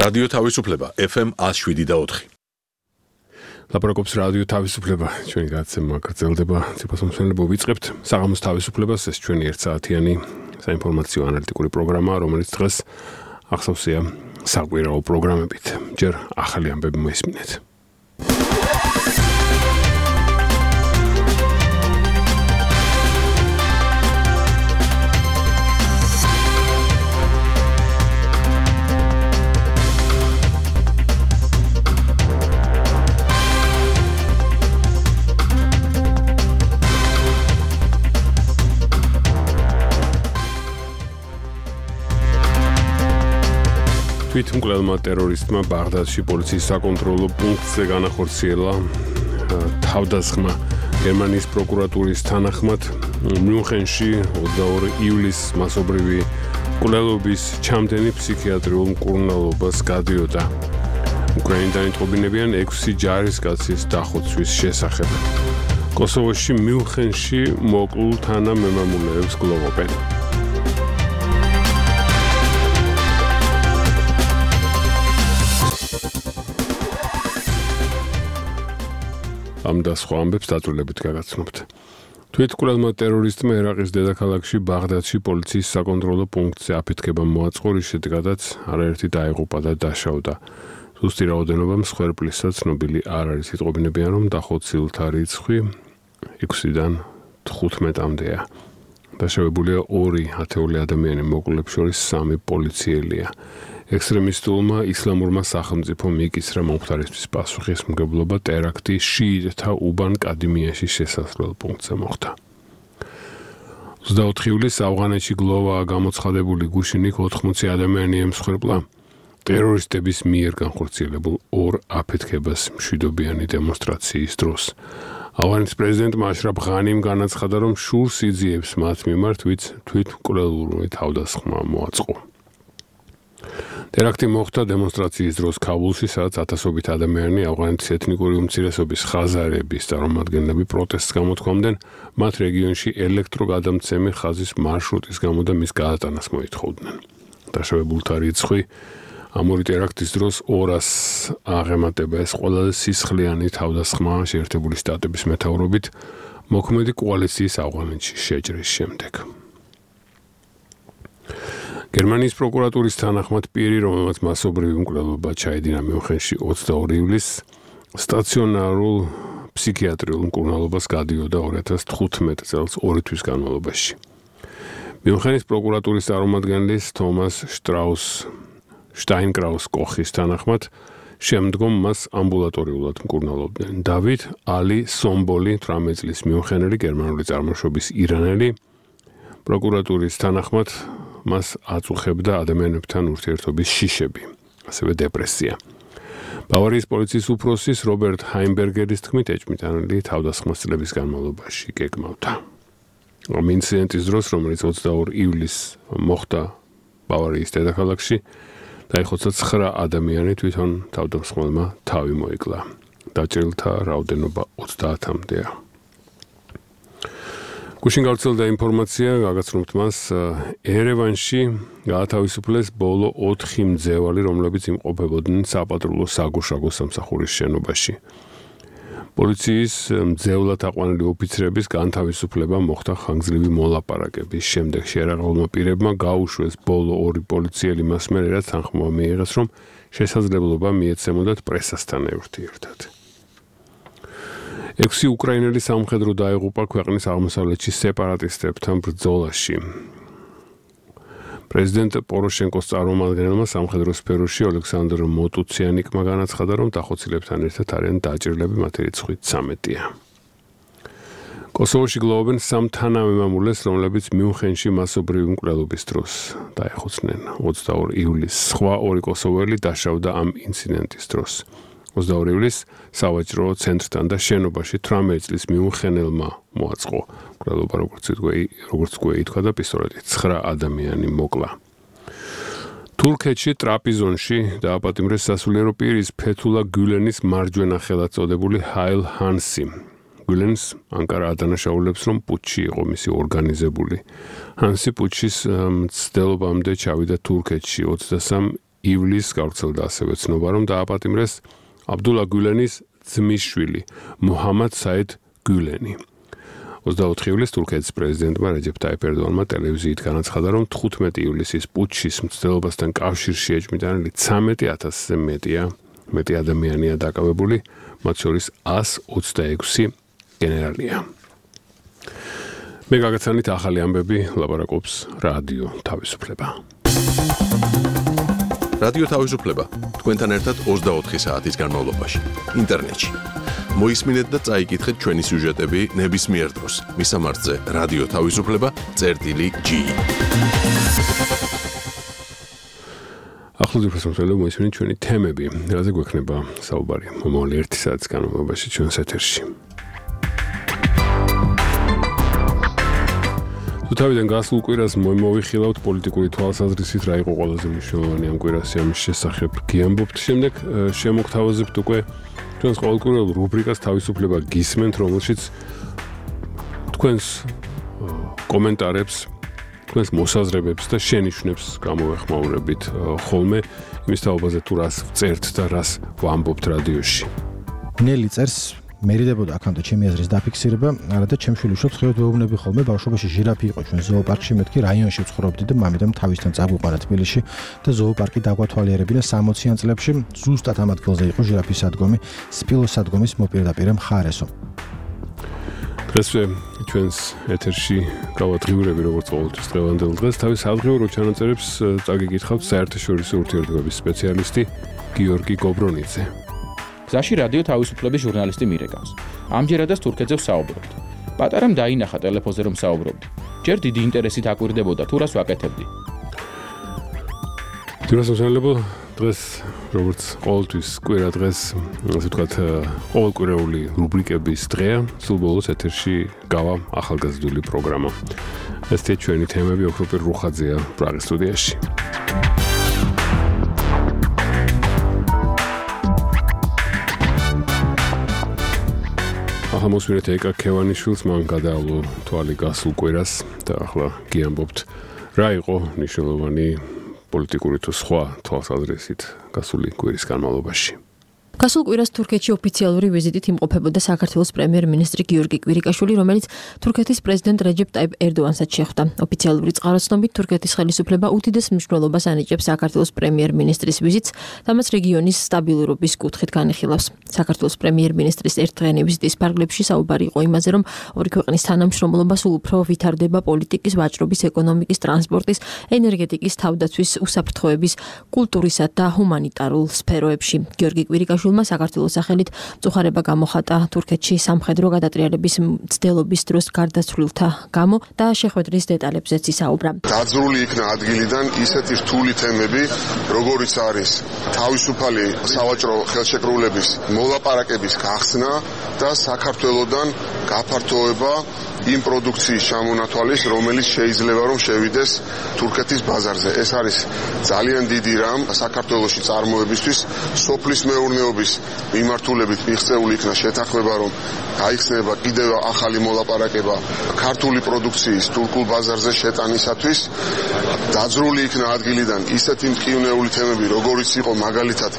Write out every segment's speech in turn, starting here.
რადიო თავისუფლება FM 107.4. ლაპარაკობს რადიო თავისუფლება, ჩვენი გადაცემა გრძელდება, ციფროსამსახურებო ვიწყებთ საღამოს თავისუფლებას, ეს ჩვენი 1 საათიანი საინფორმაციო ანალიტიკური პროგრამა, რომელიც დღეს ახსოვსია საკვირაო პროგრამებით. ჯერ ახალი ამბები მოისმინეთ. თვითმკვლელმა ტერორისტმა ბაღდადში პოლიციის საკონტროლო პუნქტზე განახორციელა თავდასხმა. გერმანიის პროკურატურის თანახმად მიუნხენში 22 ივლისს მასობრივი მკვლელობის ჩამდენი ფსიქიატრიულ მკურნალობას გადიოდა. უკრაინიდან იტყობინებიან 6 ჯარისკაცის დახოცვის შესახებ. კოსოვოში მიუნხენში მოკლულ თანამემამულეებს გლოვობენ. ამ და სხვა ამბებს დაწვრილებით გაგაცნობთ. თვითმკვლელმა ტერორისტმა ერაყის დედაქალაქში ბაღდადში პოლიციის საკონტროლო პუნქტზე აფეთქება მოაწყო, რის შედეგადაც არაერთი დაიღუპა და დაშავდა. ზუსტი რაოდენობა მსხვერპლისა ცნობილი არ არის. იტყობინებიან, რომ დახოცილთა რიცხვი 6-დან 15-მდეა. დაშავებულია 2 ათეული ადამიანი, მოკლულებს შორის 3 პოლიციელია. ექსტრემისტულმა ისლამურმა სახელმწიფომ მიკისრა მომხდარისთვის პასუხისმგებლობა ტერაქტი შიიტთა უბან კადიმიაში შესასვლელ პუნქტზე მოხდა. 24 ივლისს ავღანეთში გლოვაა გამოცხადებული, გუშინიკ 80 ადამიანი ემსხვერპლა ტერორისტების მიერ განხორციელებულ 2 აფეთქებას მშვიდობიანი დემონსტრაციის დროს. ავღანეთის პრეზიდენტმა აშრაფ ღანიმ განაცხადა, რომ შურს იძიებს მათ მიმართ, ვინც თვითმკვლელური თავდასხმა მოაწყო. ტერაქტი მოხდა დემონსტრაციის დროს ქაბულში, სადაც ათასობით ადამიანი ავღანეთის ეთნიკური უმცირესობის ხაზარების წარმომადგენლები პროტესტს გამოთქვამდნენ, მათ რეგიონში ელექტროგადამცემი ხაზის მარშრუტის გამო და მის გადატანას მოითხოვდნენ. დაშავებულთა რიცხვი ამ ორი ტერაქტის დროს 200 აღემატება. ეს ყველაზე სისხლიანი თავდასხმა შეერთებული შტატების მეთაურობით მოქმედი კოალიციის ავღანეთში შეჭრის შემდეგ. გერმანიის პროკურატურის თანახმად პირი, რომელმაც მასობრივი მკვლელობა ჩაედინა მიუნხენში 22 ივლისს, სტაციონარულ ფსიქიატრიულ მკურნალობას გადიოდა 2015 წელს 2 თვის განმავლობაში. მიუნხენის პროკურატურის წარმომადგენლის თომას შტაინკრაუს კოხის თანახმად შემდგომ მას ამბულატორიულად მკურნალობდნენ. დავით ალი სომბოლი, 18 წლის მიუნხენელი გერმანული წარმოშობის ირანელი, პროკურატურის თანახმად მას აწუხებდა ადამიანებთან ურთიერთობის შიშები, ასევე დეპრესია. ბავარიის პოლიციის უფროსის რობერტ ჰაინბერგერის თქმით, ეჭვმიტანილი თავდასხმას წლების განმავლობაში გეგმავდა. ამ ინციდენტის დროს, რომელიც 22 ივლისს მოხდა ბავარიის დედაქალაქში, დაიხოცა 9 ადამიანი, თვითონ თავდამსხმელმა თავი მოიკლა. დაჭრილთა რაოდენობა 30-მდეა. გუშინ გავრცელდა ინფორმაცია, გაგაცნობთ მას, ერევანში გაათავისუფლეს ბოლო 4 მძევალი, რომლებიც იმყოფებოდნენ საპატრულო საგუშაგო სამსახურის შენობაში. პოლიციის მძევლად აყვანილი ოფიცრების განთავისუფლება მოხდა ხანგრძლივი მოლაპარაკების შემდეგ. შეერაღებულმა პირებმა გაუშვეს ბოლო 2 პოლიციელი მასმერ, რაც თანხმობა მიიღეს, რომ შესაძლებლობა მიეცემოდათ პრესასთან ურთიერთად. 6 უკრაინელი სამხედრო დაიღუპა ქვეყნის აღმოსავლეთში სეპარატისტებთან ბრძოლაში. პრეზიდენტ პოროშენკოს წარმომადგენელმა სამხედრო სფეროში ოლექსანდრ მოტუციანიკმა განაცხადა, რომ დახოცილებთან ერთად არიან დაჭრილები, მათი რიცხვი 13-ია. კოსოვოში გლოვობენ 3 თანამემამულეს, რომლებიც მიუნხენში მასობრივი მკვლელობის დროს დაეხოცნენ. 22 ივლისს სხვა 2 კოსოველი დაშავდა ამ ინციდენტის დროს. 22 ივლისს სავაჭრო ცენტრთან და შენობაში 18 წლის მიუნხენელმა მოაწყო მკვლელობა, როგორც გვე ითქვა და პისტოლეტით 9 ადამიანი მოკლა. თურქეთში ტრაპიზონში დააპატიმრეს სასულიერო პირის ფეთულა გულენის მარჯვენა ხელად წოდებული ჰაილ ჰანსი. გულენს ანკარა ადანაშაულებს, რომ პუტჩი იყო მისი ორგანიზებული. ჰანსი პუტჩის მცდელობამდე ჩავიდა თურქეთში 23 ივლისს გავრცელდა ასევე ცნობა, რომ დააპატიმრეს აბდულა გულენის ძმისშვილი მუჰამად საიდ გულენი. 24 ივლისს თურქეთის პრეზიდენტმა რეჯეფ ტაიპ ერდოღანმა ტელევიზიით განაცხადა, რომ 15 ივლისის პუტჩის მცდელობასთან კავშირში ეჭვმიტანილი 13,000-ზე მეტი ადამიანია დაკავებული, მათ შორის 126 გენერალია. მე გაგაცანით ახალი ამბები, ლაპარაკობს რადიო თავისუფლება. რადიო თავისუფლება თქვენთან ერთად 24 საათის განმავლობაში ინტერნეტში. მოისმინეთ და წაიკითხეთ ჩვენი სიუჟეტები ნებისმიერ დროს. მისამართზე რადიო თავისუფლება.ge. ახლო ძირფასმოწმელებო მოისმინეთ ჩვენი თემები, რაზე გვექნება საუბარი მომავალი 1 საათის განმავლობაში ჩვენს ეთერში. თავიდან გასულ კვირას მოვიხილავთ პოლიტიკური თვალსაზრისით რა იყო ყველაზე მნიშვნელოვანი ამ კვირას ამის შესახებ გიამბობთ. შემდეგ შემოგთავაზებთ უკვე ჩვენს ყოველკვირეულ რუბრიკას თავისუფლება გისმენთ, რომელშიც თქვენს კომენტარებს, თქვენს მოსაზრებებს და შენიშვნებს გამოვეხმაურებით ხოლმე იმის თაობაზე თუ რას ვწერთ და რას ვამბობთ რადიოში. ნელი წერს მერიდებოდა აქამდე ჩემი აზრის დაფიქსირება, არადა ჩემ შვილიშვილს ხევთ ვეუბნები ხოლმე ბავშვობაში ჟირაფი იყო ჩვენ ზოოპარკში, მეთქი რაიონში ვცხოვრობდი და მამიდამ თავისთან წაგვიყვანა თბილისში და ზოოპარკი დაგვათვალიერებინა 60-იან წლებში, ზუსტად ამ ადგილზე იყო ჟირაფის სადგომი, სპილოს სადგომის მოპირდაპირე მხარესო. დღესვე ჩვენს ეთერში გავადღიურები როგორც ყოველთვის დღევანდელ დღეს თავის ადღიურო ჩანაწერებს წაგიკითხავთ საერთაშორისო ურთიერთობების სპეციალისტი გიორგი გობრონიძე. გზაში რადიო თავისუფლების ჟურნალისტი მირეკავს. ამჯერადაც თურქეთზე ვსაუბრობთ. პატარამ დაინახა ტელეფონზე რომ საუბრობდი. ჯერ დიდი ინტერესით აკვირდებოდა თუ რას ვაკეთებდი. ძირასამშენებლო დღეს როგორც ყოველთვის კვირა დღეს ასე ვთქვათ ყოველკვირეული რუბრიკების დღეა. სულ ბოლოს ეთერში გავა ახალგაზრდული პროგრამა. ესეთი ჩვენი თემები ოქროპირ რუხაძეა პრაღის სტუდიაში. მოსვირეთ ეკა ქევანიშვილს, მან გადაავლო თვალი გასულ კვირას და ახლა გიამბობთ რა იყო მნიშვნელოვანი პოლიტიკური თუ სხვა თვალსაზრისით გასული კვირის განმავლობაში. გასულ კვირას თურქეთში ოფიციალური ვიზიტით იმყოფებოდა საქართველოს პრემიერ-მინისტრი გიორგი კვირიკაშვილი, რომელიც თურქეთის პრეზიდენტ რეჯეფ ტაიპ ერდოღანსაც შეხვდა. ოფიციალური წყაროსნობით თურქეთის ხელისუფლება უდიდეს მნიშვნელობას ანიჭებს საქართველოს პრემიერ-მინისტრის ვიზიტს, თამაც რეგიონის სტაბილურობის კუთხით განიხილავს. საქართველოს პრემიერ-მინისტრის ერთდღიანი ვიზიტის ფარგლებში საუბარი იყო იმაზე, რომ ორი ქვეყნის თანამშრომლობა სულ უფრო ვითარდება პოლიტიკის, ვაჭრობის, ეკონომიკის, ტრანსპორტის, ენერგეტიკის, თავდაცვის, უსაფრთხოების, კულტურისა და ჰუმანიტარულ სფეროებში. გიორგი კვირიკაშვილი საქართველოს სახელით მწუხარება გამოხატა თურქეთში სამხედრო გადატრიალების მცდელობის დროს გარდაცვლილთა გამო და შეხვედრის დეტალებზეც ისაუბრა. დაძრული იქნა ადგილიდან ისეთი რთული თემები, როგორიც არის თავისუფალი სავაჭრო ხელშეკრულების მოლაპარაკების გახსნა და საქართველოდან გაფართოება იმ პროდუქციის ჩამონათვალის, რომელიც შეიძლება რომ შევიდეს თურქეთის ბაზარზე. ეს არის ძალიან დიდი რამ საქართველოში წარმოებისთვის, სოფლის მეურნეობის მიმართულებით მიღწეული იქნა შეთანხმება, რომ გაიხსნება კიდევ ახალი მოლაპარაკება ქართული პროდუქციის თურქულ ბაზარზე შეტანისათვის. დაძრული იქნა ადგილიდან ისეთი მტკივნეული თემები, როგორიც იყო მაგალითად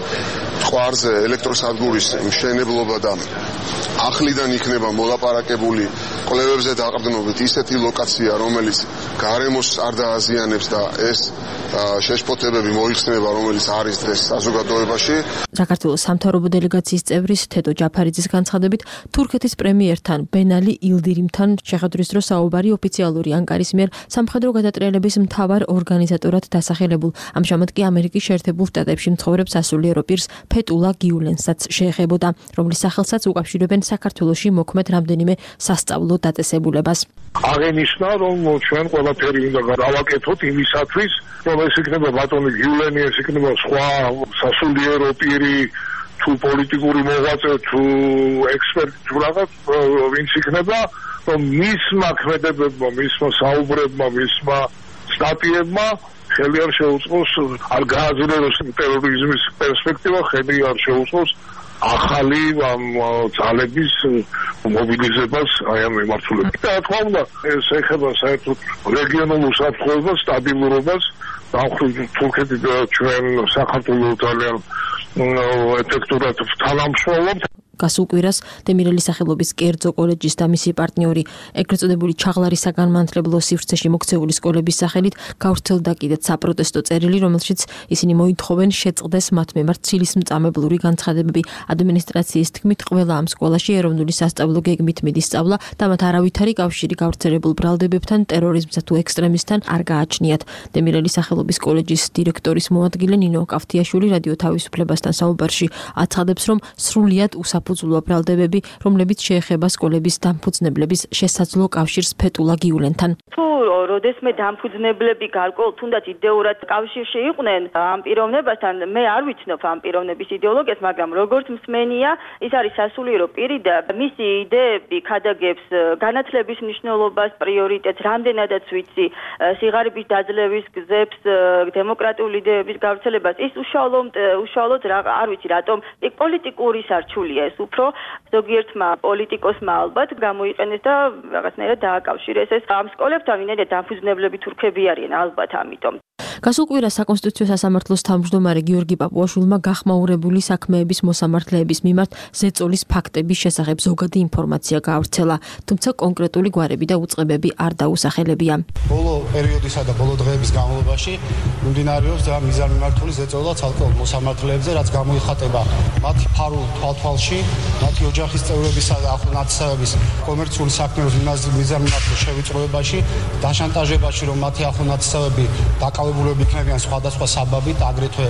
ტყვარზე ელექტროსადგურის მშენებლობა და ახლიდან იქნება მოლაპარაკებული კვლევებზე დაყრდნობით ისეთი ლოკაცია, რომელიც გარემოს არ დააზიანებს და ეს შეშფოთებები მოიხსნება, რომელიც არის დღეს საზოგადოებაში. საქართველოს სამთავრობო დელეგაციის წევრის თედო ჯაფარიძის განცხადებით, თურქეთის პრემიერთან ბენალი ილდირიმთან შეხვედრის დროს საუბარი ოფიციალური ანკარის მიერ სამხედრო გადატრიალების მთავარ ორგანიზატორად დასახელებულ, ამჟამად კი ამერიკის შეერთებულ შტატებში მცხოვრებ სასულიერო პირს ფეტულა გიულენსაც შეეხებოდა, რომლის სახელსაც უკავშირებენ საქართველოში მოქმედ რამდენიმე სასწავლო დაწესებულებას. აღენიშნა, რომ ჩვენ ყველაფერი უნდა გავაკეთოთ იმისათვის, რომ ეს იქნება ბატონი გიულენი, ეს იქნება სხვა სასულიერო პირი, თუ პოლიტიკური მოღვაწე, თუ ექსპერტი, თუ რაღაც ვინც იქნება, რომ მისმა ქმედებებმა, მისმა საუბრებმა, მისმა სტატიებმა ხელი არ შეუწყოს, არ გააძლიეროს ტერორიზმის პერსპექტივა, ხელი არ შეუწყოს ახალი ძალების მობილიზებას აი ამ მიმართულებით. და თქმა უნდა, ეს ეხება საერთოდ რეგიონულ უსაფრთხოებას, სტაბილურობას, თურქეთი და ჩვენ საქართველოს ძალიან ეფექტურად თანამშრომლობთ. გასულ კვირას დემირელის სახელობის კერძო კოლეჯის და მისი პარტნიორი ეგრეთ წოდებული ჩაღლარის საგანმანათლებლო სივრცეში მოქცეული სკოლების სახელით გავრცელდა კიდეც საპროტესტო წერილი, რომელშიც ისინი მოითხოვენ შეწყდეს მათ მიმართ ცილისმწამებლური განცხადებები. ადმინისტრაციის თქმით, ყველა ამ სკოლაში ეროვნული სასწავლო გეგმით მიდის სწავლა და მათ არავითარი კავშირი გავრცელებულ ბრალდებებთან, ტერორიზმსა თუ ექსტრემიზმთან არ გააჩნიათ. დემირელის სახელობის კოლეჯის დირექტორის მოადგილე ნინო კავთიაშვილი რადიო თავისუფლებასთან საუბარში აცხადებს, რომ სრულიად საფუძვლოა ბრალდებები, რომლებიც შეეხება სკოლების დამფუძნებლების შესაძლო კავშირს ფეტულა გიულენთან. თუ როდესმე დამფუძნებლები გარკვეულ თუნდაც იდეურად კავშირში იყვნენ ამ პიროვნებასთან, მე არ ვიცნობ ამ პიროვნების იდეოლოგიას, მაგრამ როგორც მსმენია, ის არის სასულიერო პირი და მისი იდეები ქადაგებს განათლების მნიშვნელობას, პრიორიტეტს, რამდენადაც ვიცი, სიღარიბის დაძლევის გზებს, დემოკრატიული იდეების გავრცელებას. ის უშუალოდ არ ვიცი რატომ პოლიტიკური სარჩულია ეს უფრო ზოგიერთმა პოლიტიკოსმა ალბათ გამოიყენეს და რაღაცნაირად დააკავშირეს ეს ამ სკოლებთან, ვინაიდან დამფუძნებლები თურქები არიან ალბათ ამიტომ. გასულ კვირას საკონსტიტუციო სასამართლოს თავმჯდომარე გიორგი პაპუაშვილმა გახმაურებული საქმეების მოსამართლეების მიმართ ზეწოლის ფაქტების შესახებ ზოგადი ინფორმაცია გაავრცელა, თუმცა კონკრეტული გვარები და უწყებები არ დაუსახელებია. ბოლო პერიოდისა და ბოლო დღეების განმავლობაში მიმდინარეობს და მიზანმიმართული ზეწოლა ცალკეულ მოსამართლეებზე, რაც გამოიხატება მათი ფარულ თვალთვალში, მათი ოჯახის წევრებისა და ახლონაცისების კომერციული საქმეების მიზანმიმართულ შევიწროებაში, დაშანტაჟებაში, რომ მათი ახლონაცისები დაკავებულები იქნებიან სხვადასხვა საბაბით, აგრეთვე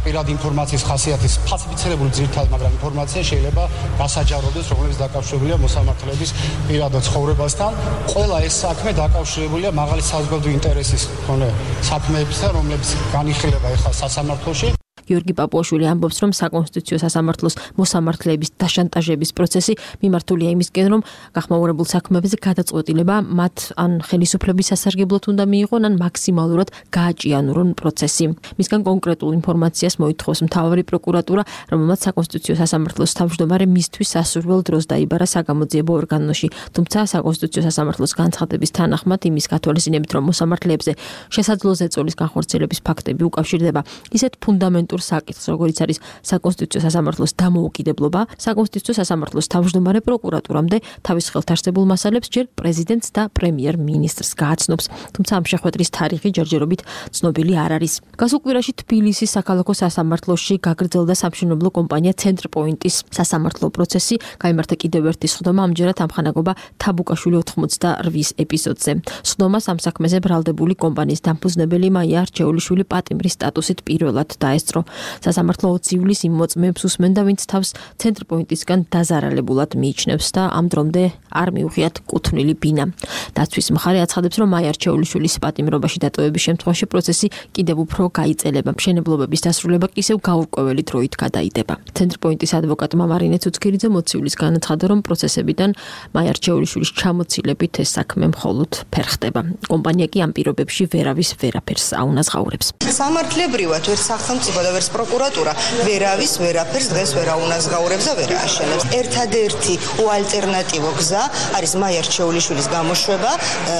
პირადი ინფორმაციის ხასიათის ფალსიფიცირებული ძირითადი, მაგრამ ინფორმაცია შეიძლება გასაჯაროდეს, რომელიც დაკავშირებულია მოსამართლეების პირად ცხოვრებასთან. ყველა ეს საქმე დაკავშირებულია მაღალი საზოგადოებრივი ინტერესის მქონე საქმეებთან, რომლებიც განიხილება ახლა სასამართლოში. გიორგი პაპუაშვილი ამბობს, რომ საკონსტიტუციო სასამართლოს მოსამართლეების დაშანტაჟების პროცესი მიმართულია იმისკენ, რომ გახმაურებულ საქმეებზე გადაწყვეტილება მათ ან ხელისუფლების სასარგებლოდ უნდა მიიღონ, ან მაქსიმალურად გააჭიანურონ პროცესი. მისგან კონკრეტულ ინფორმაციას მოითხოვს მთავარი პროკურატურა, რომელმაც საკონსტიტუციო სასამართლოს თავმჯდომარე მისთვის სასურველ დროს დაიბარა საგამოძიებო ორგანოში. თუმცა საკონსტიტუციო სასამართლოს განცხადების თანახმად იმის გათვალისწინებით, რომ მოსამართლეებზე შესაძლო ზეწოლის განხორციელების ფაქტები უკავშირდება ისეთ ფუნდამენტურ საკითხს, როგორც არის საკონსტიტუციო სასამართლოს დამოუკიდებლობა, საკონსტიტუციო სასამართლოს თავმჯდომარე პროკურატურამდე თავის ხელთ არსებულ მასალებს ჯერ პრეზიდენტს და პრემიერ-მინისტრს გააცნობს. თუმცა ამ შეხვედრის თარიღი ჯერჯერობით ცნობილი არ არის. გასულ კვირაში თბილისის საქალაქო სასამართლოში გაგრძელდა სამშენებლო კომპანია ცენტრპოინტის სასამართლო პროცესი, გაიმართა კიდევ ერთი სხდომა, ამჯერად ამხანაგობა თაბუკაშვილი 88 ეპიზოდზე. სხდომას ამ საქმეზე ბრალდებული კომპანიის დამფუძნებელი მაია არჩეულიშვილი პატიმრის სტატუსით პირველად დაესწრო. სასამართლო 20 ივლისს იმ მოწმეებს უსმენდა, ვინც თავს ცენტრპოინტისგან დაზარალებულად მიიჩნევს და ამ დრომდე არ მიუღიათ კუთვნილი ბინა. დაცვის მხარე აცხადებს, რომ მაია არჩეულიშვილის პატიმრობაში დატოვების შემთხვევაში პროცესი კიდევ უფრო გაიწელება. მშენებლობების დასრულება კი ისევ გაურკვეველი დროით გადაიდება. ცენტრპოინტის ადვოკატმა მარინე ცუცქირიძე მოცივლის განაცხადა, რომ პროცესებიდან მაია არჩეულიშვილის ჩამოცილებით ეს საქმე მხოლოდ ფერხდება. კომპანია კი ამ პირობებში ვერავის ვერაფერს აუნაზღაურებს. სამართლებრივად ვერ სახელმწიფო და ვერც პროკურატურა ვერავის ვერაფერს დღეს ვერ აუნაზღაურებს და ვერ ააშენებს. ერთადერთი უალტერნატივო გზა არის მაია არჩეულიშვილის გამოშვება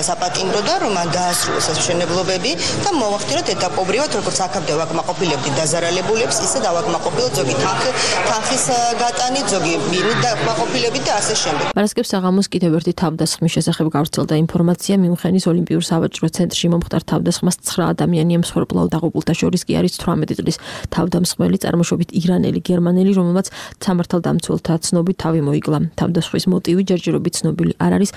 საპატიმროდან, რომ მან დაასრულოს ეს მშენებლობები და მოვახდინოთ ეტაპობრივად, როგორც აქამდე ვაკმაყოფილებდით დაზარალებულებს, ისე დავაკმაყოფილოთ ზოგი თანხის გატანით, ზოგი ბინით დაკმაყოფილებით და ასე შემდეგ. მარასკევს საღამოს კიდევ ერთი თავდასხმის შესახებ გავრცელდა ინფორმაცია. მიუნხენის ოლიმპიურ სავაჭრო ცენტრში მომხდარ თავდასხმას 9 ადამიანი ემსხვერპლა დაღუპულთა შორის კი არის 18 წლის თავდამსხმელი წარმოშობით ირანელი გერმანელი, რომელმაც სამართალდამცველთა ცნობით თავი მოიკლა. თავდასხმის მოტივი ჯერჯერობით ცნობილი არ არის.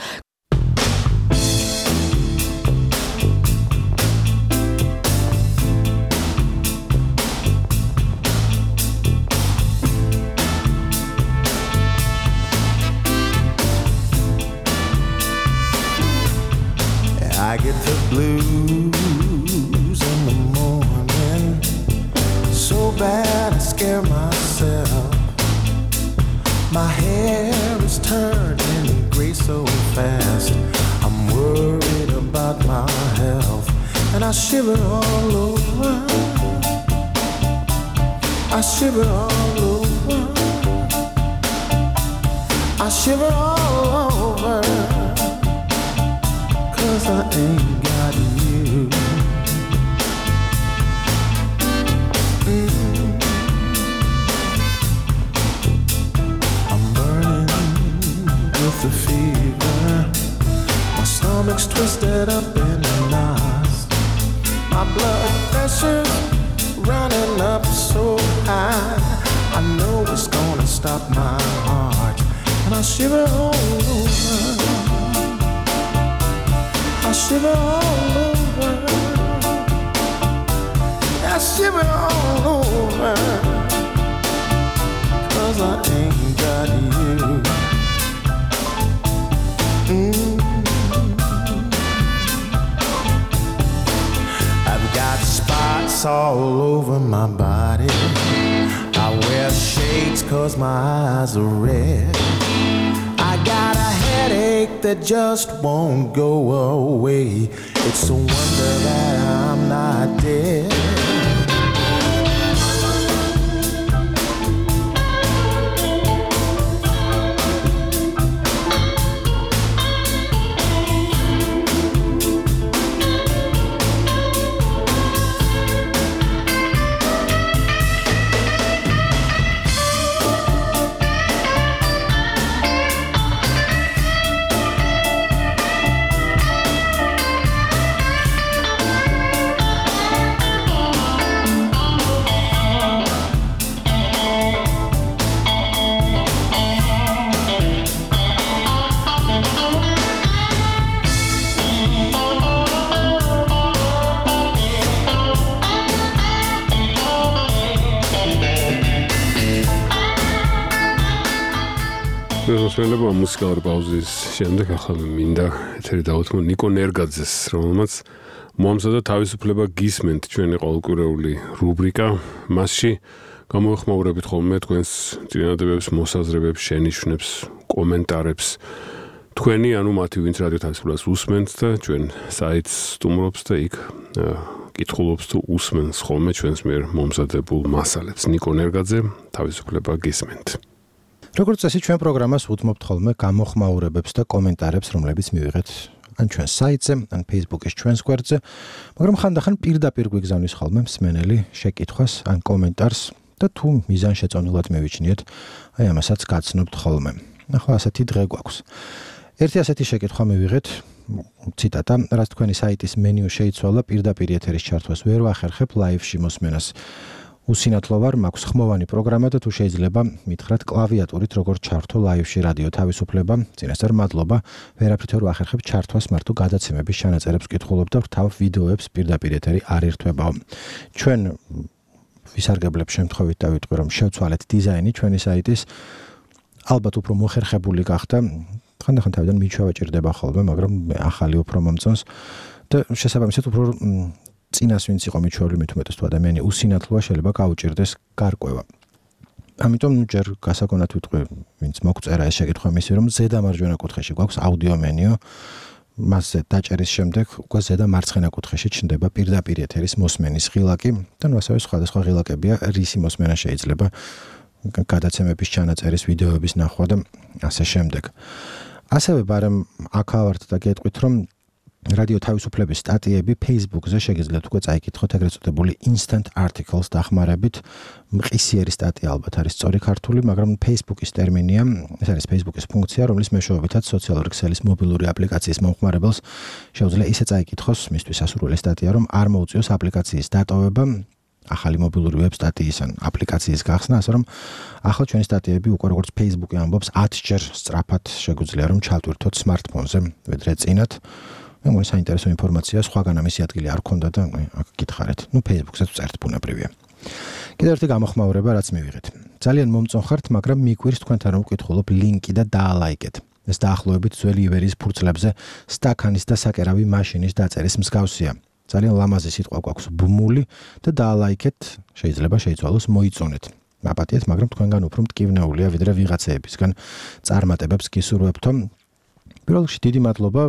I get the blues in the morning, so bad I scare myself. My hair is turning gray so fast. I'm worried about my health, and I shiver all over. I shiver all over. I shiver all over, 'cause I ain't got you. I'm burning with the fever. My stomach's twisted up in knots. My blood pressure's running up so high. I know it's gonna stop my heart. And I shiver all over. I shiver all over. I shiver all over. 'Cause I ain't got you. I've got spots all over my body. I wear shades 'cause my eyes are red. I got a headache that just won't go away. It's a wonder that I'm not dead. მოსმენელობა მუსიკალური პაუზის შემდეგ ახლა მინდა ეთერი დავუთმო ნიკო ნერგაძეს, რომელმაც მოამზადა თავისუფლება გისმენთ ჩვენი ყოველკვირეული რუბრიკა. მასში გამოეხმაურებით ხოლმე თქვენს წინადადებებს, მოსაზრებებს, შენიშვნებს, კომენტარებს. თქვენი, ანუ მათი, ვინც რადიო თავისუფლებას უსმენთ და ჩვენ საიტს სტუმრობს და იქ კითხულობს თუ უსმენს ხოლმე ჩვენს მიერ მომზადებულ მასალებს. ნიკო ნერგაძე, თავისუფლება გისმენთ. როგორც წესი, ჩვენ პროგრამას უთმობთ ხოლმე გამოხმაურებებს და კომენტარებს, რომლებიც მივიღეთ ან ჩვენ საიტზე, ან Facebook-ის ჩვენს გვერდზე, მაგრამ ხანდახან პირდაპირ გვიგზავნის ხოლმე მსმენელი შეკითხვას ან კომენტარს და თუ მიზანშეწონილად მივიჩნიეთ, აი ამასაც გაცნობთ ხოლმე. ახლა ასეთი დღე გვაქვს. ერთი ასეთი შეკითხვა მივიღეთ, ციტატა, რაც თქვენი საიტის მენიუ შეიცვალა, პირდაპირ ეთერის ჩართვას ვერ ვახერხებ, ლაივში მოსმენას უსინათლო ვარ, მაქვს ხმოვანი პროგრამა და თუ შეიძლება მითხრათ კლავიატურით როგორ ჩართო ლაივში რადიო თავისუფლება. წინასწარ მადლობა, ვერაფრით ვერ ვახერხებ ჩართვას, მარტო გადაცემების ჩანაწერებს ვკითხულობ და ვრთავ ვიდეოებს პირდაპირ ეთერი არ ირთვებაო. ჩვენ ვისარგებლებ შემთხვევით და ვიტყვი რომ შევცვალეთ დიზაინი ჩვენი საიტის, ალბათ უფრო მოხერხებული გახდა. ხანდახან თავიდან მიჩვევა ჭირდება ხოლმე, მაგრამ ახალი უფრო მომწონს და შესაბამისად უფრო წინას ვინც იყო მიჩვეული, მით უმეტეს თუ ადამიანი უსინათლოა, შეიძლება გაუჭირდეს გარკვევა. ამიტომ ჯერ გასაგონად ვიტყვი, ვინც მოგწერა ეს შეკითხვა მისი, რომ ზედა მარჯვენა კუთხეში გვაქვს აუდიო მენიუ, მასზე დაჭერის შემდეგ უკვე ზედა მარცხენა კუთხეში ჩნდება პირდაპირ ეთერის მოსმენის ღილაკი და ასევე სხვადასხვა ღილაკებია, რისი მოსმენა შეიძლება, გადაცემების ჩანაწერის, ვიდეოების ნახვა და ასე შემდეგ. ასევე ბარემ აქავართ და გეტყვით, რომ რადიო თავისუფლების სტატიები Facebook-ზე შეგიძლიათ უკვე წაიკითხოთ ეგრეთ წოდებული instant articles დახმარებით. მყისიერი სტატია ალბათ არის სწორი ქართული, მაგრამ Facebook-ის ტერმინია, ეს არის Facebook-ის ფუნქცია, რომლის მეშვეობითაც სოციალური ქსელის მობილური აპლიკაციის მომხმარებელს შეუძლია ისე წაიკითხოს მისთვის სასურველი სტატია, რომ არ მოუწიოს აპლიკაციის დატოვება, ახალი მობილური ვებ სტატიის ან აპლიკაციის გახსნა, ასე რომ ახლა ჩვენი სტატიები უკვე როგორც Facebook-ი ამბობს 10-ჯერ სწრაფად შეგვიძლია რომ ჩავტვირთოთ smartphone-ზე, ვიდრე წინათ. მე მგონი საინტერესო ინფორმაცია, სხვაგან ამისი ადგილი არ ქონდა და აქ გითხარით. Facebook-ზეც წერთ, ბუნებრივია. კიდევ ერთი გამოხმაურება, რაც მივიღეთ. ძალიან მომწონხართ, მაგრამ მიგვირს თქვენთან რომ ვკითხულობ ლინკი და დაალაიკეთ. ეს დაახლოებით ძველი ივერიის ფურცლებზე სტაქანის და საკერავი მაშინის დაწერის მსგავსია. ძალიან ლამაზი სიტყვა გვაქვს ბმული და დაალაიქეთ, შეიძლება შეიცვალოს მოიწონეთ. მაპატიეთ, მაგრამ თქვენგან უფრო მტკივნეულია ვიდრე ვიღაცეებისგან წარმატებებს გისურვებთო. პირველ რიგში დიდი მადლობა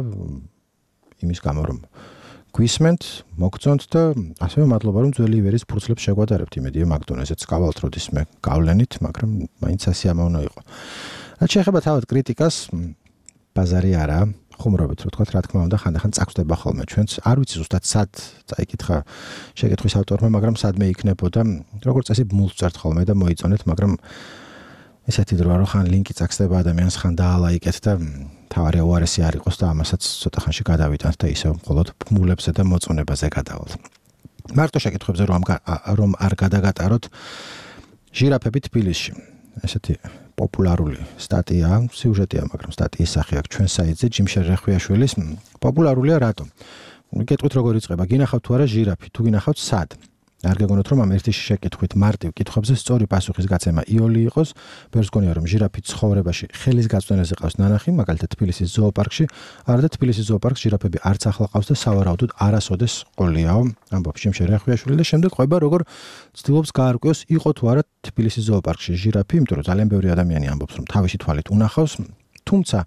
იმის გამო რომ გვისმენთ, მოგწონთ და ასევე მადლობა რომ ძველი ივერიის ფურცლებს შეგვადარებთ. იმედია მაგდონეზეც გავალთ როდის მე გავლენით, მაგრამ მაინც სასიამოვნო იყო. რაც შეეხება თავად კრიტიკას, ბაზარი არა, ხუმრობით რო თქვა, რა თქმა უნდა, ხანდახან წაგვდება ხოლმე ჩვენც. არ ვიცი ზუსტად სად წაიკითხა შეკითხვის ავტორმა, მაგრამ სადმე იქნებოდა, როგორც წესი ბმულს წერთ ხოლმე და მოიწონეთ, მაგრამ ესეთი დროა რომ ხან ლინკი წაქსდება ადამიანს, ხან დაალაიკეთ და თავარი უარესი არ იყოს და ამასაც ცოტა ხანში გადავიტანთ და ისევ მხოლოდ ბმულებსა და მოწონებაზე გადავალთ. მარტო შეკითხვებზე რომ არ გადაგატაროთ ჟირაფები თბილისში. ესეთი პოპულარული სტატია, სიუჟეტია, მაგრამ სტატიის სახე აქვს ჩვენ საიტზე ჯიმშერ რეხვიაშვილის. პოპულარულია რატო? გეტყვით როგორ იწყება? გინახავთ თუ არა ჟირაფი, თუ გინახავთ სად? არ გეგონოთ რომ ამ ერთი შეკითხვით მარტივ კითხვებზე სწორი პასუხის გაცემა იოლი იყოს. ბევრს გონია რომ ჟირაფი ცხოვრებაში ხელის გაწვენაზე ყავს ნანახი, მაგალითად თბილისის ზოოპარკში, არადა თბილისის ზოოპარკში ჟირაფები არც ახლა ყავს და სავარაუდოდ არასოდეს ყოლიაო. ამბობს ჯიმშერ რეხვიაშვილი და შემდეგ ყვება როგორ ცდილობს გაარკვიოს იყო თუ არა თბილისის ზოოპარკში ჟირაფი, იმიტომ რომ ძალიან ბევრი ადამიანი ამბობს რომ თავისი თვალით უნახავს. თუმცა,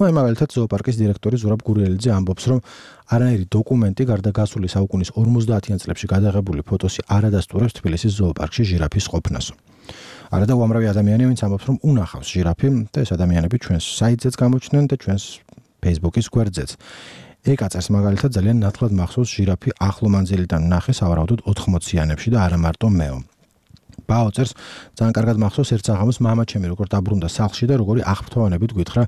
აი მაგალითად ზოოპარკის დირექტორი ზურაბ გურიელიძე ამბობს, რომ არანაირი დოკუმენტი გარდა გასული საუკუნის 50-იან წლებში გადაღებული ფოტოსი არ ადასტურებს თბილისის ზოოპარკში ჟირაფის ყოფნას. არადა უამრავი ადამიანი, ვინც ამბობს, რომ უნახავს ჟირაფი და ეს ადამიანები ჩვენს საიტზეც გამოჩნდნენ და ჩვენს Facebook-ის გვერდზეც. ეკაწერს მაგალითად ძალიან ნათლად მახსოვს ჟირაფი ახლო მანძილიდან ნახე სავარაუდოდ 80-იანებში და არა მარტო მეო. ბაოწერს ძალიან კარგად მახსოვს ერთ საღამოს მამა ჩემი როგორ დაბრუნდა სახლში და როგორი აღფრთოვანებით გვითხრა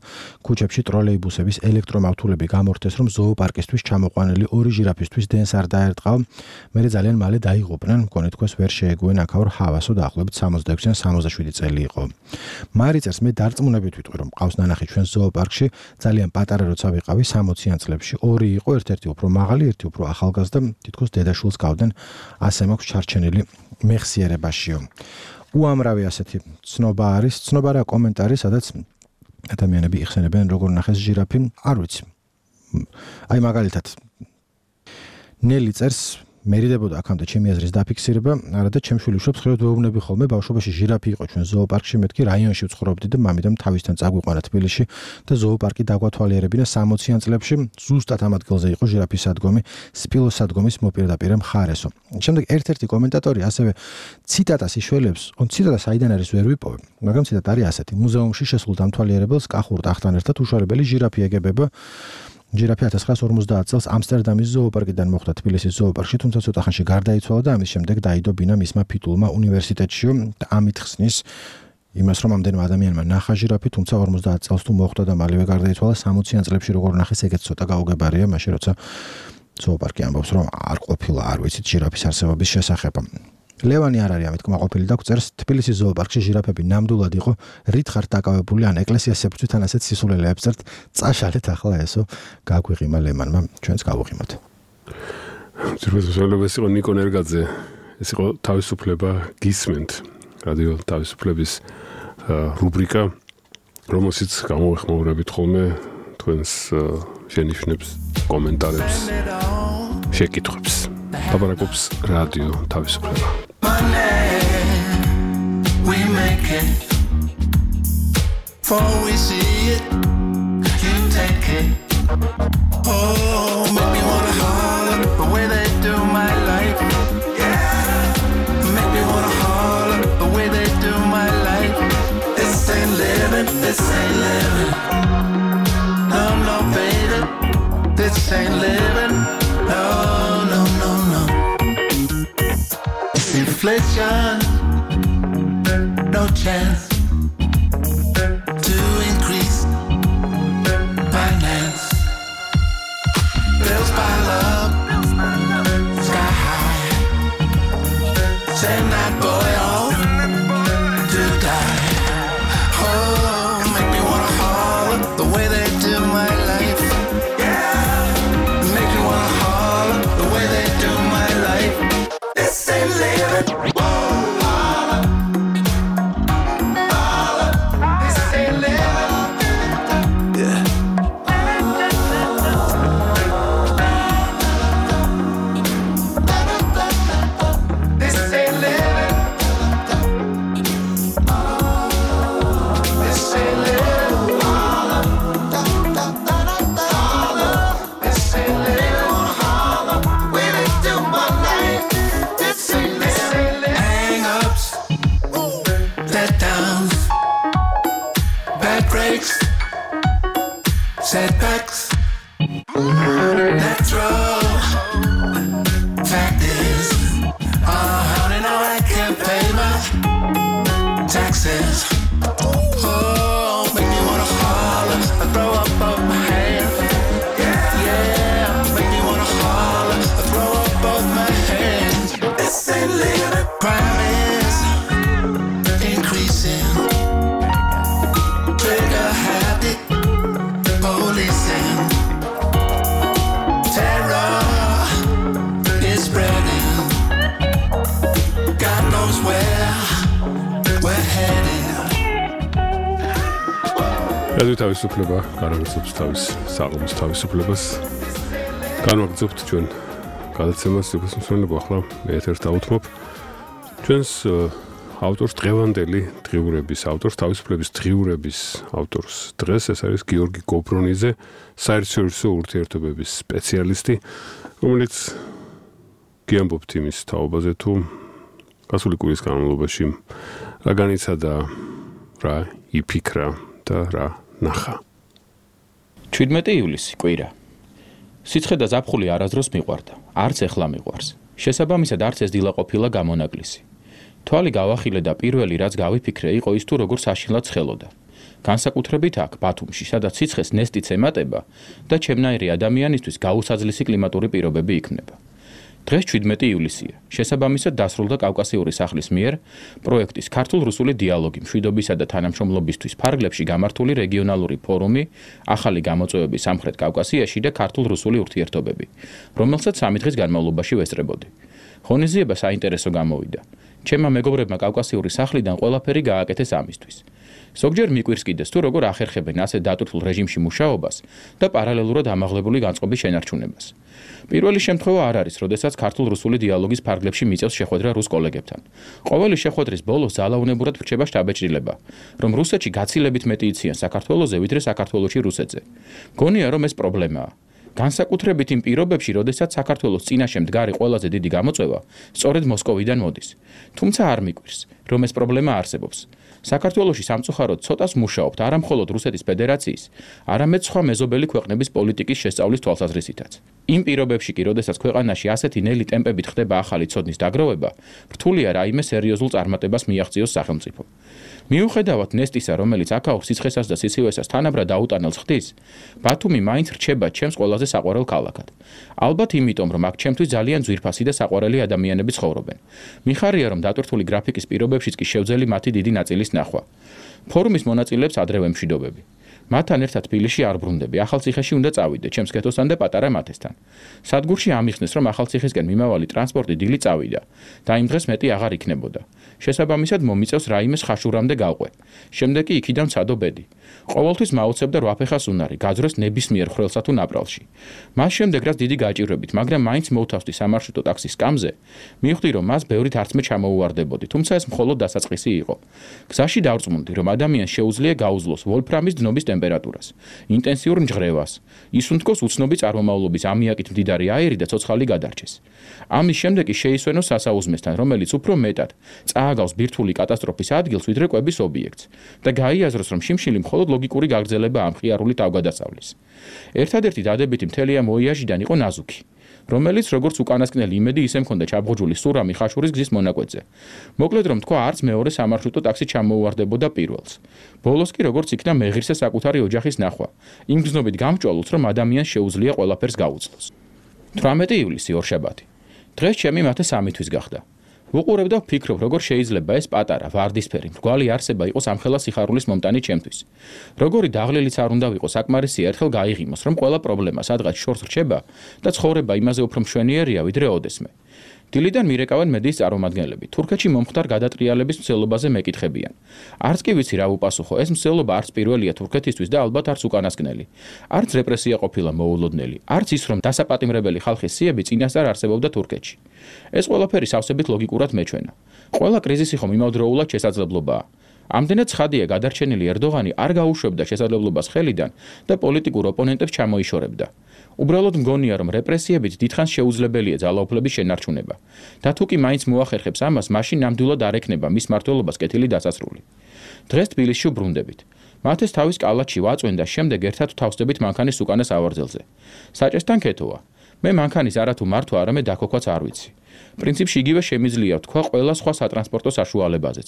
ქუჩებში ტროლეიბუსების ელექტრომავთულები გამორთეს რომ ზოოპარკისთვის ჩამოყვანილი ორი ჟირაფისთვის დენს არ დაერტყავ. მე ძალიან მალე დაიღუპნენ, მგონი თქოს ვერ შეეგუენ აქაურ ჰავასო დაახლოებით 66-ან 67 წელი იყო. მარიწერს მე დარწმუნებით ვიტყვი რომ ყავს ნანახი ჩვენ ზოოპარკში, ძალიან პატარა როცა ვიყავი 60-იან წლებში. ორი იყო, ერთ-ერთი უფრო მაღალი, ერთი უფრო ახალგაზრდა, თითქოს დედაშვილს გავდნენ, ასე მაქვს ჩარჩენილი მეხსიერებაშიო. უამრავი ასეთი ცნობა არის, ცნობა რა კომენტარი, სადაც ადამიანები იხსენებენ როგორ ნახეს ჟირაფი, არ ვიცი. აი მაგალითად ნელი წერს მერიდებოდა აქამდე ჩემი აზრის დაფიქსირება, არადა ჩემ შვილიშვილს ხშირად ვეუბნები ხოლმე ბავშვობაში ჟირაფი იყო ჩვენ ზოოპარკში, მეთქი რაიონში ვცხოვრობდი და მამიდამ თავისთან წაგვიყვანა თბილისში და ზოოპარკი დაგვათვალიერებინა 60-იან წლებში, ზუსტად ამ ადგილზე იყო ჟირაფის სადგომი, სპილოს სადგომის მოპირდაპირე მხარესო. შემდეგ ერთ-ერთი კომენტატორი ასევე ციტატას იშველებს, ციტატა საიდან არის ვერ ვიპოვე, მაგრამ ციტატა არის ასეთი: მუზეუმში შესულ დამთვალიერებელს კახურ ტახტთან ერთად უშუალებელი ჟირაფი ეგებება. ჟირაფი 1950 წელს ამსტერდამის ზოოპარკიდან მოხვდა თბილისის ზოოპარკში, თუმცა ცოტა ხანში გარდაიცვალა და ამის შემდეგ დაიდო ბინა მისმა ფიტულმა უნივერსიტეტში და ამით ხსნის იმას, რომ ამდენმა ადამიანმა ნახა ჟირაფი, თუმცა 50 წელს თუ მოხვდა და მალევე გარდაიცვალა 60-იან წლებში როგორ ნახეს, ეგეც ცოტა გაუგებარია, მაშინ როცა ზოოპარკი ამბობს, რომ არ ყოფილა, არ ვიცით ჟირაფის არსებობის შესახებ. ლევანი არ არის ამით კმაყოფილი და გვწერს თბილისის ზოოპარკში ჟირაფები ნამდვილად იყო, რით ხართ დაკავებული ან ეკლესიას ებრწვით ან ასეთ სისულელეებს წერთ, წაშალეთ ახლა ესო გაგვიღიმა ლემანმა, ჩვენც გავუღიმოთ. ძირფესობელებს იყო ნიკო ნერგაძე, ეს იყო თავისუფლება გისმენთ, რადიო თავისუფლების რუბრიკა, რომელშიც გამოვეხმაურებით ხოლმე თქვენს შენიშვნებს, კომენტარებს, შეკითხვებს. ლაპარაკობს რადიო თავისუფლება. We make it before we see it. You take it. Oh, make me wanna holler the way they do my life. Yeah, make me wanna holler the way they do my life. This ain't living, this ain't living. No, no, baby, this ain't living. No, no, no, no. Inflation. No chance to increase finance. Bills pile up, sky high. Send that boy off to die. Oh, make me wanna holler the way they do my life. Yeah, make me wanna holler the way they do my life. This ain't living. This ain't living. Crime is increasing. Trigger happy policing. Terror is spreading. God knows where we're heading. რადიო თავისუფლება განაგრძობს თავის საღამოს თავისუფლებას. განვაგრძობთ ჩვენ გადაცემას სიუხვესმსმენელო ახლა მე ეთერს დავუთმობ. ჩვენს ავტორს დღევანდელი დღიურების ავტორს თავისუფლების დღიურების ავტორს დღეს ეს არის გიორგი გობრონიძე, საერთაშორისო ურთიერთობების სპეციალისტი, რომელიც გიამბობთ იმის თაობაზე თუ გასული კვირის განმავლობაში რა განიცადა, რა იფიქრა და რა ნახა. 17 ივლისი კვირა. სიცხე და ზაფხული არასდროს მიყვარდა, არც ეხლა მიყვარს. შესაბამისად არც ეს დილა ყოფილა გამონაკლისი. თვალი გავახილე და პირველი რაც გავიფიქრე იყო ის თუ როგორ საშინლად ცხელოდა. განსაკუთრებით აქ ბათუმში, სადაც სიცხეს ნესტიც ემატება და ჩემნაირი ადამიანისთვის გაუსაძლისი კლიმატური პირობები იქმნება. დღეს 17 ივლისია. შესაბამისად დასრულდა კავკასიური სახლის მიერ პროექტის ქართულ-რუსული დიალოგი მშვიდობისა და თანამშრომლობისთვის ფარგლებში გამართული რეგიონალური ფორუმი ახალი გამოწვევები სამხრეთ კავკასიაში და ქართულ-რუსული ურთიერთობები, რომელსაც 3 დღის განმავლობაში ვესწრებოდი. ღონისძიება საინტერესო გამოვიდა. ჩემმა მეგობრებმა კავკასიური სახლიდან ყველაფერი გააკეთეს ამისთვის. ზოგჯერ მიკვირს კიდეს თუ როგორ ახერხებენ ასე დატვირთულ რეჟიმში მუშაობას და პარალელურად ამაღლებული განწყობის შენარჩუნებას. პირველი შემთხვევა არ არის, როდესაც ქართულ-რუსული დიალოგის ფარგლებში მიწევს შეხვედრა რუს კოლეგებთან. ყოველი შეხვედრის ბოლოს ძალაუნებურად რჩება შტაბ-ეჭრილება, რომ რუსეთში გაცილებით მეტი იციან საქართველოზე, ვიდრე საქართველოში რუსეთზე. გონია, რომ ეს პრობლემაა. განსაკუთრებით იმ პირობებში, როდესაც საქართველოს წინაშე მდგარი ყველაზე დიდი გამოწვევა სწორედ მოსკოვიდან მოდის. თუმცა არ მიკვირს, რომ ეს პრობლემა არსებობს. საქართველოში სამწუხაროდ ცოტას მუშაობთ არა მხოლოდ რუსეთის ფედერაციის, არამედ სხვა მეზობელი ქვეყნების პოლიტიკის შესწავლის თვალსაზრისითაც. იმ პირობებში კი, როდესაც ქვეყანაში ასეთი ნელი ტემპებით ხდება ახალი ცოდნის დაგროვება, რთულია რაიმე სერიოზულ წარმატებას მიაღწიოს სახელმწიფო. მიუხედავად ნესტისა, რომელიც აქაურ სიცხესას და სიცივესას თანაბრად აუტანელს ხდის, ბათუმი მაინც რჩება ჩემს ყველაზე საყვარელ ქალაქად. ალბათ იმიტომ, რომ აქ ჩემთვის ძალიან ძვირფასი და საყვარელი ადამიანები ცხოვრობენ. მიხარია, რომ დატვირთული გრაფიკის პირობებშიც კი შევძელი მათი დიდი ნაწილის ნახვა. ფორუმის მონაწილეებს ადრევე მშვიდობები. მათთან ერთად თბილისში არ ბრუნდები, ახალციხეში უნდა წავიდე, ჩემს კეთოსთან და პატარა მათესთან. სადგურში ამიხსნეს, რომ ახალციხისკენ მიმავალი ტრანსპორტი დილით წავიდა და იმ დღეს მეტი აღარ იქნებოდა. შესაბამისად მომიწევს რაიმეს ხაშურამდე გავყვე. შემდეგ კი იქიდან ვცადო ბედი. ყოველთვის მაუცებდა 8 ფეხას უნარი, გაძროს ნებისმიერ ხრელსა თუ ნაპრალში. მას შემდეგ რაც დიდი გაჭირვებით, მაგრამ მაინც მოვთავსდი სამარშრუტო ტაქსის სკამზე, მივხვდი, რომ მას ბევრით არც მე ჩამოუვარდებოდი, თუმცა ეს მხოლოდ დასაწყისი იყო. გზაში დავწმუნდი, რომ ადამიანს შეუძლია გაუძლოს ვოლფრამის დნობის ტემპერატურას, ინტენსიურ ნჟღრევას, ისუნთქოს უცნობი წარმომავლობის ამიაკით მდიდარი აირი და ცოცხალი გადარჩეს. ამის შემდეგ კი შეისვენოს სასაუზმესთან, რომელიც უფრო მეტად წააგავს ბირთვული კატასტროფის ადგილს, ვიდრე კვების ობიექტს და გაიაზროს, რომ შიმშილი მხოლოდ ლოგიკური გაგრძელება ამ ხიარული თავგადასავლის. ერთადერთი დადებითი მთელი ამ ვოიაჟიდან იყო ნაზუქი, რომელიც როგორც უკანასკნელი იმედი ისე მქონდა ჩაბღუჯული სურამი ხაშურის გზის მონაკვეთზე. მოკლედ რომ თქვა, არც მეორე სამარშრუტო ტაქსი ჩამოუვარდებოდა პირველს. ბოლოს კი როგორც იქნა მეღირსე საკუთარი ოჯახის ნახვა. იმ გზნობით გამჭვალულს, რომ ადამიანს შეუძლია ყველაფერს გაუძლოს. 18 ივლისი ორშაბათი. დღეს ჩემი მათე 3 თვის გახდა. ვუყურებ და ვფიქრობ, როგორ შეიძლება ეს პატარა ვარდისფერი მრგვალი არსება იყოს ამხელა სიხარულის მომტანი ჩემთვის. როგორი დაღლილიც არ უნდა ვიყო საკმარისია ერთხელ გაიღიმოს, რომ ყველა პრობლემა სადღაც შორს რჩება და ცხოვრება იმაზე უფრო მშვენიერია, ვიდრე ოდესმე. დილიდან მირეკავენ მედიის წარმომადგენლები. თურქეთში მომხდარ გადატრიალების მცდელობაზე მეკითხებიან. არც კი ვიცი რა უპასუხო, ეს მცდელობა არც პირველია თურქეთისთვის და ალბათ არც უკანასკნელი. არც რეპრესია ყოფილა მოულოდნელი, არც ის რომ დასაპატიმრებელი ხალხის სიები წინასწარ არსებობდა თურქეთში. ეს ყველაფერი სავსებით ლოგიკურად მეჩვენა. ყველა კრიზისი ხომ იმავდროულად შესაძლებლობაა. ამდენად ცხადია გადარჩენილი ერდოღანი არ გაუშვებდა შესაძლებლობას ხელიდან და პოლიტიკურ ოპონენტებს ჩამოიშორებდა. უბრალოდ მგონია, რომ რეპრესიებით დიდხანს შეუძლებელია ძალაუფლების შენარჩუნება. და თუ კი მაინც მოახერხებს ამას, მაშინ ნამდვილად არ ექნება მის მმართველობას კეთილი დასასრული. დღეს თბილისში ვბრუნდებით. მათეს თავის კალათში ვაწვენ და შემდეგ ერთად ვთავსდებით მანქანის უკანას ავარძელზე. საჭესთან ქეთოა. მე მანქანის არათუ მართვა, არამედ დაქოქვაც არ ვიცი. პრინციპში იგივე შემიძლია ვთქვა ყველა სხვა სატრანსპორტო საშუალებაზეც.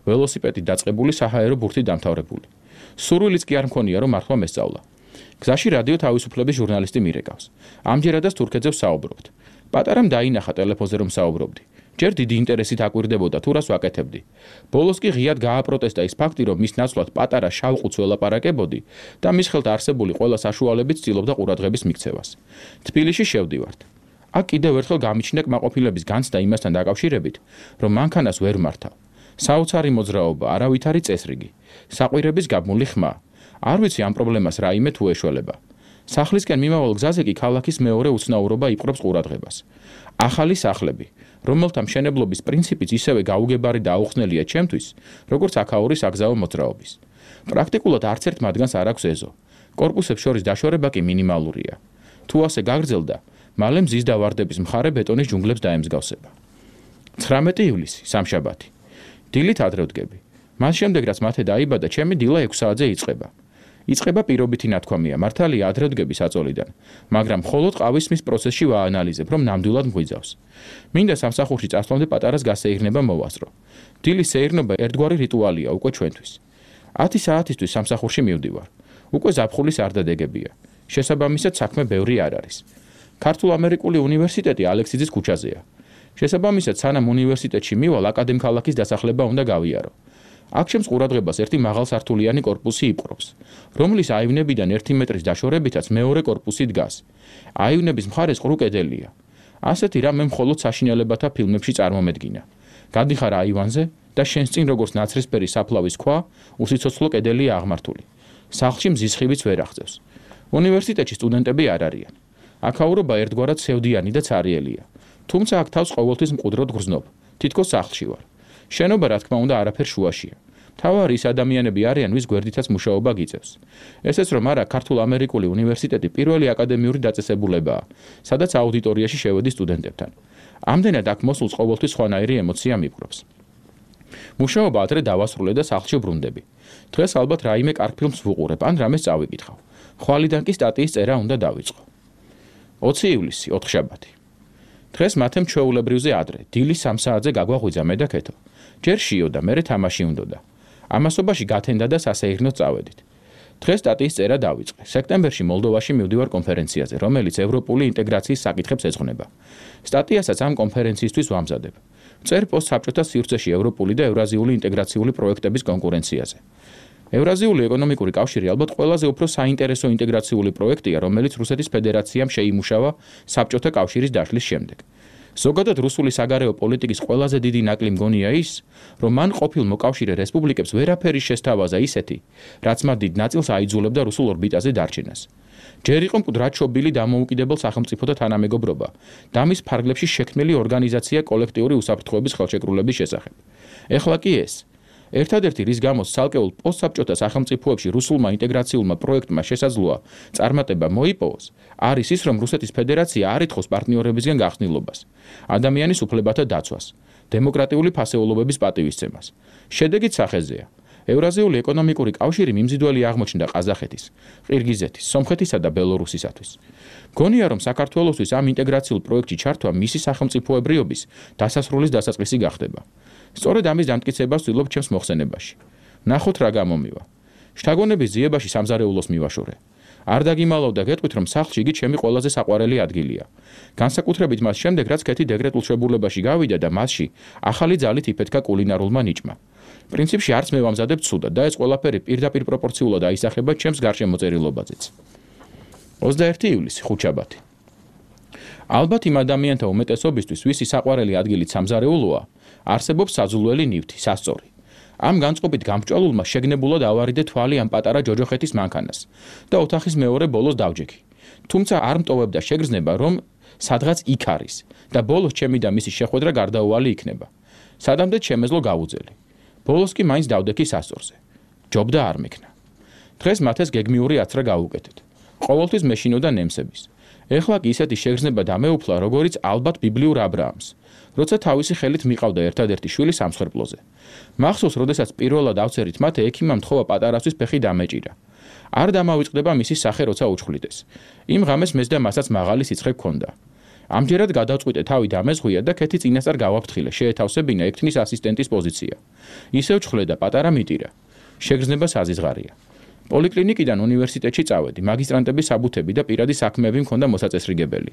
ველოსიპედი დაწყებული, საჰაერო ბურთი დამთავრებული. სურვილიც კი არ მქონია, რომ მართვა მესწავლა. გზაში რადიო თავისუფლების ჟურნალისტი მირეკავს. ამჯერადაც თურქეთზე ვსაუბრობთ. პატარამ დაინახა ტელეფონზე რომ საუბრობდი. ჯერ დიდი ინტერესით აკვირდებოდა თუ რას ვაკეთებდი. ბოლოს კი ღიად გააპროტესტა ის ფაქტი, რომ მის ნაცვლად პატარა შავყუთს ველაპარაკებოდი და მის ხელთ არსებული ყველა საშუალებით ცდილობდა ყურადღების მიქცევას. თბილისში შევდივართ. აქ კიდევ ერთხელ გამიჩნდა კმაყოფილების განცდა იმასთან დაკავშირებით, რომ მანქანას ვერ მართავ. საოცარი მოძრაობა, არავითარი წესრიგი, საყვირების გაბმული ხმა. არ ვიცი ამ პრობლემას რაიმე თუ ეშველება. სახლისკენ მიმავალ გზაზე კი ქალაქის მეორე უცნაურობა იპყრობს ყურადღებას. ახალი სახლები, რომელთა მშენებლობის პრინციპიც ისევე გაუგებარი და აუხსნელია ჩემთვის, როგორც აქაური საგზაო მოძრაობის. პრაქტიკულად არც ერთ მათგანს არ აქვს ეზო. კორპუსებს შორის დაშორება კი მინიმალურია. თუ ასე გაგრძელდა, მალე მზის დავარდების მხარე ბეტონის ჯუნგლებს დაემსგავსება. 19 ივლისი, სამშაბათი. დილით ადრე ვდგები. მას შემდეგ რაც მათე დაიბადა, ჩემი დილა 6 საათზე იწყება. იწყება პირობითი ნათქვამია, მართალია ადრე ვდგები საწოლიდან, მაგრამ მხოლოდ ყავისმის პროცესში ვაანალიზებ, რომ ნამდვილად მღვიძავს. მინდა სამსახურში წასვლამდე პატარას გასეირნება მოვასწრო. დილის სეირნობა ერთგვარი რიტუალია უკვე ჩვენთვის. 10 საათისთვის სამსახურში მივდივარ. უკვე ზაფხულის არ დადეგებია. შესაბამისად საქმე ბევრი არ არის. ქართულ-ამერიკული უნივერსიტეტი ალექსიძის ქუჩაზეა. შესაბამისად სანამ უნივერსიტეტში მივალ აკადემქალაქის დასახლება უნდა გავიარო. აქ ჩემს ყურადღებას ერთი მაღალსართულიანი კორპუსი იპყრობს, რომლის აივნებიდან 1 მეტრის დაშორებითაც მეორე კორპუსი დგას. აივნების მხარეს ყრუ კედელია. ასეთი რამ მე მხოლოდ საშინელებათა ფილმებში წარმომედგინა. გადიხარ აივანზე და შენს წინ როგორც ნაცრისფერი საფლავის ქვა, უსიცოცხლო კედელია აღმართული. სახლში მზის ხივიც ვერ აღწევს. უნივერსიტეტში სტუდენტები არ არიან. აქაურობა ერთგვარად სევდიანი და ცარიელია. თუმცა აქ თავს ყოველთვის მყუდროდ გრძნობ. თითქოს სახლში ვარ. შენობა რა თქმა უნდა არაფერ შუაშია. მთავარი ის ადამიანები არიან, ვის გვერდითაც მუშაობა გიწევს. ესეც რომ არა, ქართულ-ამერიკული უნივერსიტეტი პირველი აკადემიური დაწესებულებაა, სადაც აუდიტორიაში შევედი სტუდენტებთან. ამდენად აქ მოსულს ყოველთვის სხვანაირი ემოცია მიპყრობს. მუშაობა ადრე დავასრულე და სახლში ბრუნდები. დღეს ალბათ რაიმე კარგ ფილმს ვუყურებ, ან რამეს წავიკითხავ. ხვალიდან კი სტატიის წერა უნდა დავიწყო. 20 ივლისი, 4 შაბათი. დღეს მათემ ჩვეულებრივზე ადრე, დილის 3 საათზე გაგვაღვიძა მე და ქეთო. ჯერ შიო და მერე თამაში უნდოდა. ამასობაში გათენდა და სასეირნოდ წავედით. დღეს სტატიის წერა დავიწყე. სექტემბერში მოლდოვაში მივდივარ კონფერენციაზე, რომელიც ევროპული ინტეგრაციის საკითხებს ეძღვნება. სტატიასაც ამ კონფერენციისთვის ვამზადებ. წერ პოსტ საბჭოთა სივრცეში ევროპული და ევრაზიული ინტეგრაციული პროექტების კონკურენციაზე. ევრაზიული ეკონომიკური კავშირი ალბათ ყველაზე უფრო საინტერესო ინტეგრაციული პროექტია, რომელიც რუსეთის ფედერაციამ შეიმუშავა საბჭოთა კავშირის დაშლის შემდეგ. ზოგადად რუსული საგარეო პოლიტიკის ყველაზე დიდი ნაკლი მგონია ის, რომ მან ყოფილ მოკავშირე რესპუბლიკებს ვერაფერი შესთავაზა ისეთი, რაც მათ დიდ ნაწილს აიძულებდა რუსულ ორბიტაზე დარჩენას. ჯერ იყო მკვდრად შობილი დამოუკიდებელ სახელმწიფოთა თანამეგობრობა და მის ფარგლებში შექმნილი ორგანიზაცია კოლექტიური უსაფრთხოების ხელშეკრულების შესახებ. ეხლა კი ეს. ერთადერთი რის გამოც ცალკეულ პოსტსაბჭოთა სახელმწიფოებში რუსულმა ინტეგრაციულმა პროექტმა შესაძლოა წარმატება მოიპოვოს, არის ის, რომ რუსეთის ფედერაცია არ ითხოვს პარტნიორებისგან გახსნილობას, ადამიანის უფლებათა დაცვას, დემოკრატიული ფასეულობების პატივისცემას. შედეგიც სახეზეა. ევრაზიული ეკონომიკური კავშირი მიმზიდველი აღმოჩნდა ყაზახეთის, ყირგიზეთის, სომხეთისა და ბელორუსისათვის. გონია, რომ საქართველოსთვის ამ ინტეგრაციულ პროექტში ჩართვა მისი სახელმწიფოებრიობის დასასრულის დასაწყისი გახდება. სწორედ ამის დამტკიცებას ვცდილობ ჩემს მოხსენებაში. ნახოთ რა გამომივა. შთაგონების ძიებაში სამზარეულოს მივაშორე. არ დაგიმალავ და გეტყვით, რომ სახლში იგი ჩემი ყველაზე საყვარელი ადგილია. განსაკუთრებით მას შემდეგ, რაც ქეთი დეკრეტულ შებულებაში გავიდა და მასში ახალი ძალით იფეთქა კულინარულმა ნიჭმა. პრინციპში არც მე ვამზადებ ცუდად და ეს ყველაფერი პირდაპირ პროპორციულად აისახება ჩემს გარშემოწერილობაზეც. 21 ივლისი, ხუთშაბათი. ალბათ იმ ადამიანთა უმეტესობისთვის, ვისი საყვარელი ადგილი სამზარეულოა, არსებობს საძულველი ნივთი, სასწორი. ამ განწყობით გამჭვალულმა შეგნებულად ავარიდე თვალი ამ პატარა ჯოჯოხეთის მანქანას და ოთახის მეორე ბოლოს დავჯექი. თუმცა არ მტოვებდა შეგრძნება, რომ სადღაც იქ არის და ბოლოს ჩემი და მისი შეხვედრა გარდაუვალი იქნება. სადამდე შემეძლო გავუძელი. ბოლოს კი მაინც დავდექი სასწორზე. ჯობდა არ მექნა. დღეს მათეს გეგმიური აცრა გავუკეთეთ. ყოველთვის მეშინოდა ნემსების. ეხლა კი ისეთი შეგრძნება დამეუფლა, როგორიც ალბათ ბიბლიურ აბრაამს, როცა თავისი ხელით მიყავდა ერთადერთი შვილი სამსხვერპლოზე. მახსოვს, როდესაც პირველად ავწერით მათე ექიმამ თხოვა პატარასთვის ფეხი დამეჭირა. არ დამავიწყდება მისი სახე, როცა უჩხვლიდეს. იმ ღამეს მეც და მასაც მაღალი სიცხე გქონდა. ამჯერად გადავწყვიტე თავი დამეზღვია და ქეთი წინასწარ გავაფრთხილე, შეეთავსებინა ექთნის ასისტენტის პოზიცია. ისევ ჩხვლე და პატარა მიტირა. შეგრძნება საზიზღარია. პოლიკლინიკიდან უნივერსიტეტში წავედი, მაგისტრანტების საბუთები და პირადი საქმეები მქონდა მოსაწესრიგებელი.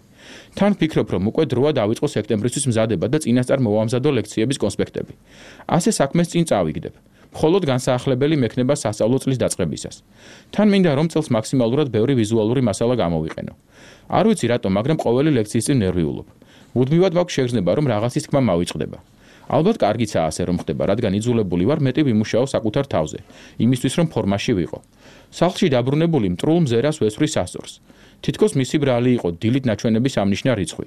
თან ვფიქრობ, რომ უკვე დროა დავიწყო სექტემბრისთვის მზადება და წინასწარ მოვამზადო ლექციების კონსპექტები. ასე საქმეს წინ წავიგდებ. მხოლოდ განსაახლებელი მექნება სასწავლო წლის დაწყებისას. თან მინდა რომ წელს მაქსიმალურად ბევრი ვიზუალური მასალა გამოვიყენო. არ ვიცი რატომ, მაგრამ ყოველი ლექციის წინ ნერვიულობ. მუდმივად მაქვს შეგრძნება, რომ რაღაცის თქმა მავიწყდება. ალბათ კარგიცაა ასე რომ ხდება, რადგან იძულებული ვარ მეტი ვიმუშაო საკუთარ თავზე, იმისთვის რომ ფორმაში ვიყო. სახლში დაბრუნებული მტრულ მზერას ვესვრი სასწორს. თითქოს მისი ბრალი იყო დილით ნაჩვენების ამნიშნა რიცხვი.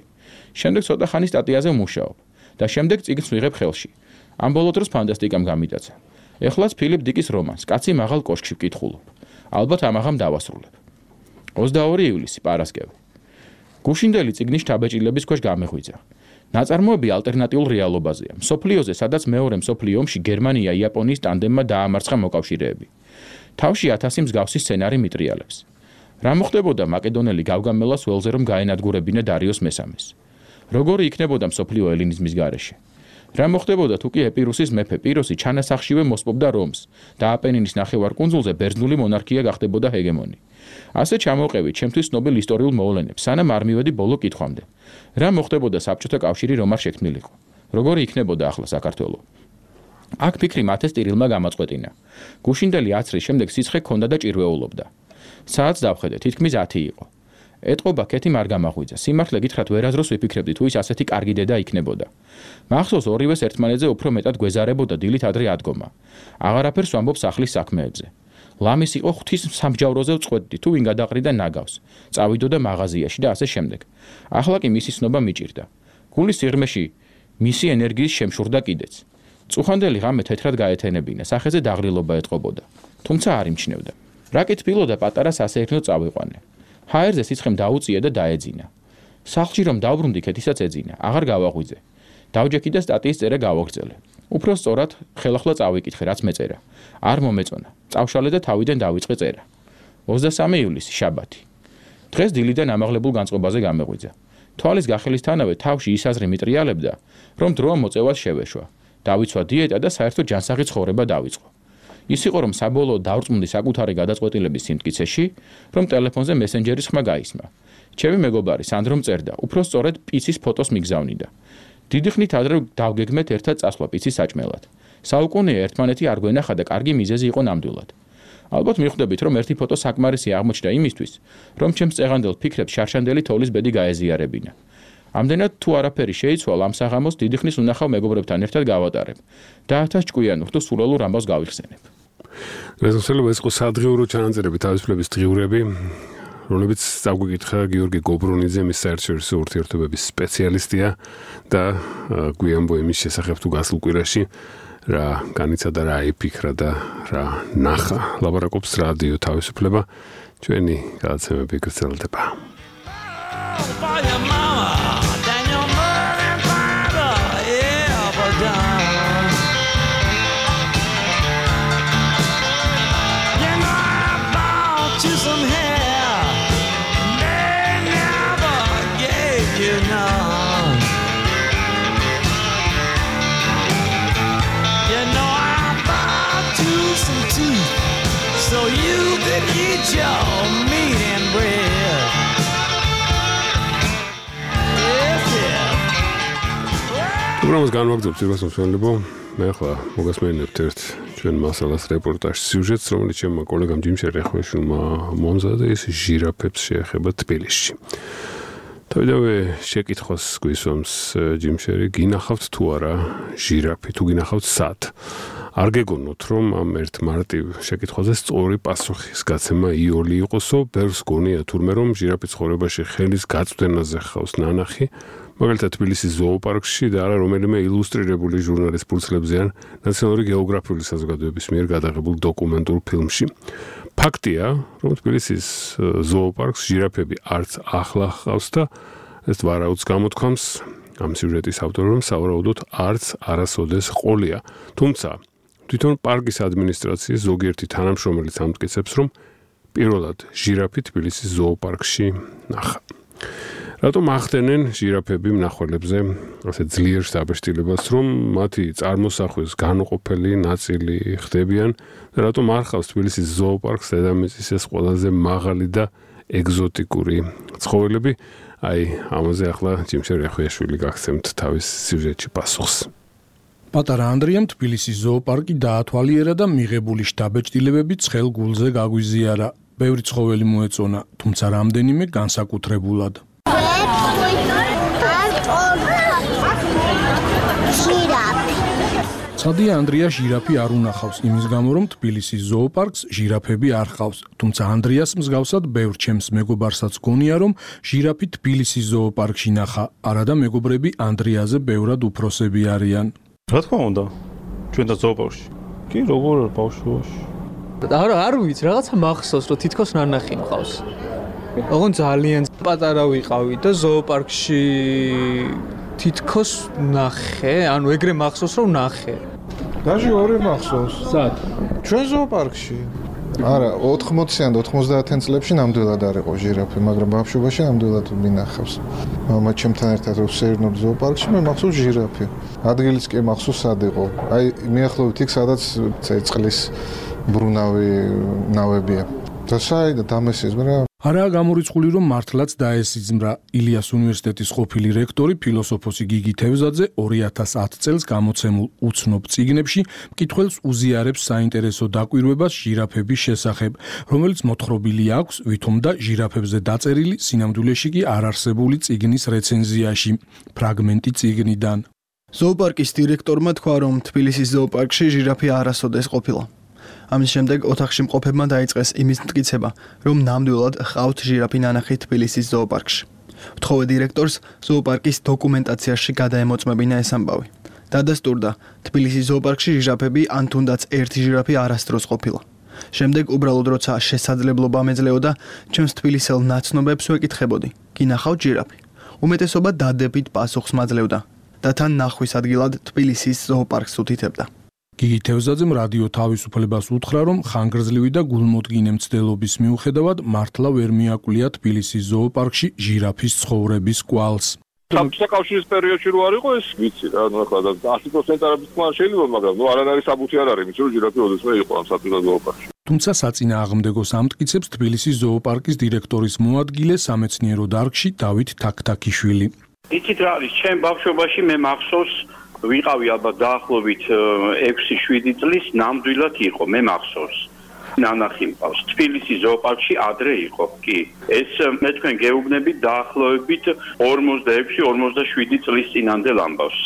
შემდეგ ცოტა ხანი სტატიაზე ვმუშაობ და შემდეგ წიგნს ვიღებ ხელში. ამ ბოლო დროს ფანტასტიკამ გამიტაცა. ეხლაც ფილიპ დიკის რომანს, კაცი მაღალ კოშკში ვკითხულობ. ალბათ ამაღამ დავასრულებ. 22 ივლისი, პარასკევი. გუშინდელი წიგნის შთაბეჭდილების ქვეშ გამეღვიძა. ნაწარმოები ალტერნატიულ რეალობაზეა. მსოფლიოზე, სადაც მეორე მსოფლიო ომში გერმანია-იაპონიის ტანდემმა დაამარცხა მოკავშირეები. თავში 1000 მსგავსი სცენარი მიტრიალებს. რა მოხდებოდა მაკედონელი გავგამელას ველზე რომ გაენადგურებინა დარიოს მესამეს? როგორი იქნებოდა მსოფლიო ელინიზმის გარეშე? რა მოხდებოდა თუ კი ეპირუსის მეფე პიროსი ჩანასახშივე მოსპობდა რომს და აპენინის ნახევარკუნძულზე ბერძნული მონარქია გახდებოდა ჰეგემონი? ასე ჩამოვყევით ჩემთვის ცნობილ ისტორიულ მოვლენებს, სანამ არ მივედი ბოლო კითხვამდე. რა მოხდებოდა საბჭოთა კავშირი რომ არ შექმნილიყო? როგორი იქნებოდა ახლა საქართველო? აქ ფიქრი მათეს ტირილმა გამაწყვეტინა. გუშინდელი 10 წლის შემდეგ სიცხე ქონდა და ჭირვეულობდა. საათს დავხედე, თითქმის 10 იყო. ეტყობა კეთი არ გამაღვიძა. სიმართლე გითხრათ, ვერაზროს ვიფიქრებდი თუ ის ასეთი კარგი დედა იქნებოდა. მახსოვს ორივეს ერთმანეთზე უფრო მეტად გვეზარებოდა დილით ადრე ადგომა. აღარაფერს ვამბობ სახლის საქმეებზე. ლამის იყო ღვთის სამსჯავროზე ვწყვეტდი თუ ვინ გადაყრიდა ნაგავს. წავიდოდა მაღაზიაში და ასე შემდეგ. ახლა კი მისი ცნობა მიჭირდა. გულის სიღრმეში მისი ენერგიის შემშურდა კიდეც. წუხანდელი ღამე თეთრად გაეთენებინა, სახეზე დაღრილობა ეტყობოდა. თუმცა არ იმჩნევდა. რა კითბილოდა პატარა სასეირნო წავიყვანე. ჰაერზე სიცხემ დაუწია და დაეძინა. სახლში რომ დავბრუნდი, კეთისაც ეძინა. აღარ გავაღვიძე. დავჯექი და სტატიის წერა გავაგრძელე. უფრო სწორად, ხელახლა წავიკითხე, რაც მეწერა. არ მომეწონა. წავშალე და თავიდან დავიწყე წერა. 23 ივლისი, შაბათი. დღეს დილიდან ამაღლებულ განწყობაზე გამეღვიძა. თვალის გახელისთანავე თავში ის აზრი მიტრიალებდა, რომ დროა მოწევას შევეშვა. დავიცვა დიეტა და საერთოდ ჯანსაღი ცხოვრება დავიწყო. ის იყო რომ საბოლოოდ დავრწმუნდი საკუთარი გადაწყვეტილების სიმტკიცეში, რომ ტელეფონზე მესენჯერის ხმა გაისმა. ჩემი მეგობარი სანდრომ წერდა, უფრო სწორედ პიცის ფოტოს მიგზავნიდა. დიდი ხნით ადრე დავგეგმეთ ერთად წასვლა პიცის საჭმელად. საუკუნეა ერთმანეთი არ გვენახა და კარგი მიზეზი იყო ნამდვილად. ალბათ მიხვდებით, რომ ერთი ფოტო საკმარისი აღმოჩნდა იმისთვის, რომ ჩემს წეღანდელ ფიქრებს შარშანდელი თოვლის ბედი გაეზიარებინა. ამდენად თუ არაფერი შეიცვალა, ამ საღამოს დიდი ხნის უნახავ მეგობრებთან ერთად გავატარებ და 1000 ჭკვიანურ თუ სულელურ ამბავს გავიხსენებ. რეზოლუცია ეს იყო სადღიურო ჩანაწერები, თავისუფლების დღიურები, რომლებიც წაგვიკითხა გიორგი გობრონიძე, მის საერთაშორისო ურთიერთობების სპეციალისტია და გვიანბო იმის შესახებ თუ გასულ კვირაში რა განიცადა, რა იფიქრა და რა ნახა. ლაპარაკობს რადიო თავისუფლება, ჩვენი გადაცემები გრძელდება. პროგრამას განვაგრძობთ პირველ მსმენელებო. მე ახლა მოგასმენებთ ერთ ჩვენ მასალას რეპორტაჟ სიუჟეტს, რომელიც ჩემმა კოლეგამ ჯიმ შერეხვეშვილმა მომზადა, ის ჟირაფებს შეეხება თბილისში. თავიდანვე შეკითხვას გვისვამს ჯიმ შერი, გინახავთ თუ არა ჟირაფი, თუ გინახავთ სად? არ გეგონოთ, რომ ამ ერთ მარტივ შეკითხვაზე სწორი პასუხის გაცემა იოლი იყოსო, ბევრს გონია თურმე რომ ჟირაფის ცხოვრებაში ხელის გაწვდენაზე ხავს ნანახი, მაგალითად თბილისის ზოოპარკში და არა რომელიმე ილუსტრირებული ჟურნალის ფურცლებზე ან ნაციონალური გეოგრაფიული საზოგადოების მიერ გადაღებულ დოკუმენტურ ფილმში. ფაქტია, რომ თბილისის ზოოპარკს ჟირაფები არც ახლა ჰყავს და ეს ვარაუდს გამოთქვამს ამ სიუჟეტის ავტორი, რომ სავარაუდოდ არც არასოდეს ყოლია. თუმცა თვითონ პარკის ადმინისტრაციის ზოგიერთი თანამშრომელიც ამტკიცებს, რომ პირველად ჟირაფი თბილისის ზოოპარკში ნახა. რატომ ახდენენ ჟირაფები მნახველებზე ასე ძლიერ საბეჭდილებას, რომ მათი წარმოსახვის განუყოფელი ნაწილი ხდებიან და რატომ არ ხავს თბილისის ზოოპარკს დედამიწის ეს ყველაზე მაღალი და ეგზოტიკური ცხოველები? აი, ამაზე ახლა ჯიმშერ ახუიაშვილი გაგცემთ თავის სიუჟეტში პასუხს. პატარა ანდრიამ თბილისის ზოოპარკი დაათვალიერა და მიღებული შთაბეჭდილებები ცხელ გულზე გაგვიზიარა. ბევრი ცხოველი მოეწონა, თუმცა რამდენიმე განსაკუთრებულად. ცადია ანდრია ჟირაფი არ უნახავს იმის გამო, რომ თბილისის ზოოპარკს ჟირაფები არ ხავს, თუმცა ანდრიას მსგავსად ბევრ ჩემს მეგობარსაც გონია, რომ ჟირაფი თბილისის ზოოპარკში ნახა, არადა მეგობრები ანდრიაზე ბევრად უფროსები არიან. რა თქმა უნდა, ჩვენ და ზოოპარკში. კი, როგორ ბავშვობაში. არ ვიცი, რაღაცა მახსოვს, რომ თითქოს ნანახი მყავს. ოღონ ძალიან პატარა ვიყავი და ზოოპარკში თითქოს ნახე, ანუ ეგრე მახსოვს, რომ ნახე. დაჟე ორი მახსოვს. სად? ჩვენ ზოოპარკში. არა, 80-იან და 90-იან წლებში ნამდვილად არ იყო ჟირაფი, მაგრამ ბავშვობაში ნამდვილად მინახავს. მამა ჩემთან ერთად რო ვსეირნოთ ზოოპარკში, მე მახსოვს ჟირაფი. ადგილიც კი მახსოვს სად იყო. აი, მიახლოვით იქ, სადაც წყლის ბრუნავი ნავებია. და საერთოდ დამესიზმრა. არაა გამორიცხული, რომ მართლაც დაესიზმრა. ილიას უნივერსიტეტის ყოფილი რექტორი ფილოსოფოსი გიგი თევზაძე 2010 წელს გამოცემულ უცნობ წიგნებში მკითხველს უზიარებს საინტერესო დაკვირვებას ჟირაფების შესახებ, რომელიც მოთხრობილი აქვს ვითომ და ჟირაფებზე დაწერილი სინამდვილეში კი არარსებული წიგნის რეცენზიაში, ფრაგმენტი წიგნიდან. ზოოპარკის დირექტორმა თქვა, რომ თბილისის ზოოპარკში ჟირაფი არასოდეს ყოფილა. ამის შემდეგ ოთახში მყოფებმა დაიწყეს იმის მტკიცება, რომ ნამდვილად ჰყავთ ჟირაფი ნანახი თბილისის ზოოპარკში. ვთხოვე დირექტორს ზოოპარკის დოკუმენტაციაში გადაემოწმებინა ეს ამბავი. დადასტურდა, თბილისის ზოოპარკში ჟირაფები ან თუნდაც ერთი ჟირაფი არასდროს ყოფილა. შემდეგ უბრალოდ როცა შესაძლებლობა მეძლეოდა, ჩემს თბილისელ ნაცნობებს ვეკითხებოდი, კი ნახავთ ჟირაფი? უმეტესობა დადებით პასუხს მაძლევდა და თან ნახვის ადგილად თბილისის ზოოპარკს უთითებდა. გიგი თევზაძემ რადიო თავისუფლებას უთხრა, რომ ხანგრძლივი და გულმოდგინე მცდელობის მიუხედავად მართლა ვერ მიაკვლია თბილისის ზოოპარკში ჟირაფის ცხოვრების კვალს. საკავშირის პერიოდში რო არ იყო ეს ვიცი რა, ნუ ახლა 100% არაფერს თქვა შეიძლება, მაგრამ ნუ არანაირი საბუთი არ არის, რომ ჟირაფი ოდესმე იყო ამ სათბილო ზოოპარკში. თუმცა საწინააღმდეგოს ამტკიცებს თბილისის ზოოპარკის დირექტორის მოადგილე სამეცნიერო დარგში დავით თაქთაქიშვილი. იცით რა არის, ჩემ ბავშვობაში მე მახსოვს ვიყავი ალბათ დაახლოებით 6-7 წლის ნამდვილად იყო, მე მახსოვს. ნანახი მყავს. თბილისის ზოოპარკში ადრე იყო, კი. ეს მე თქვენ გეუბნებით დაახლოებით 46-47 წლის წინანდელ ამბავს.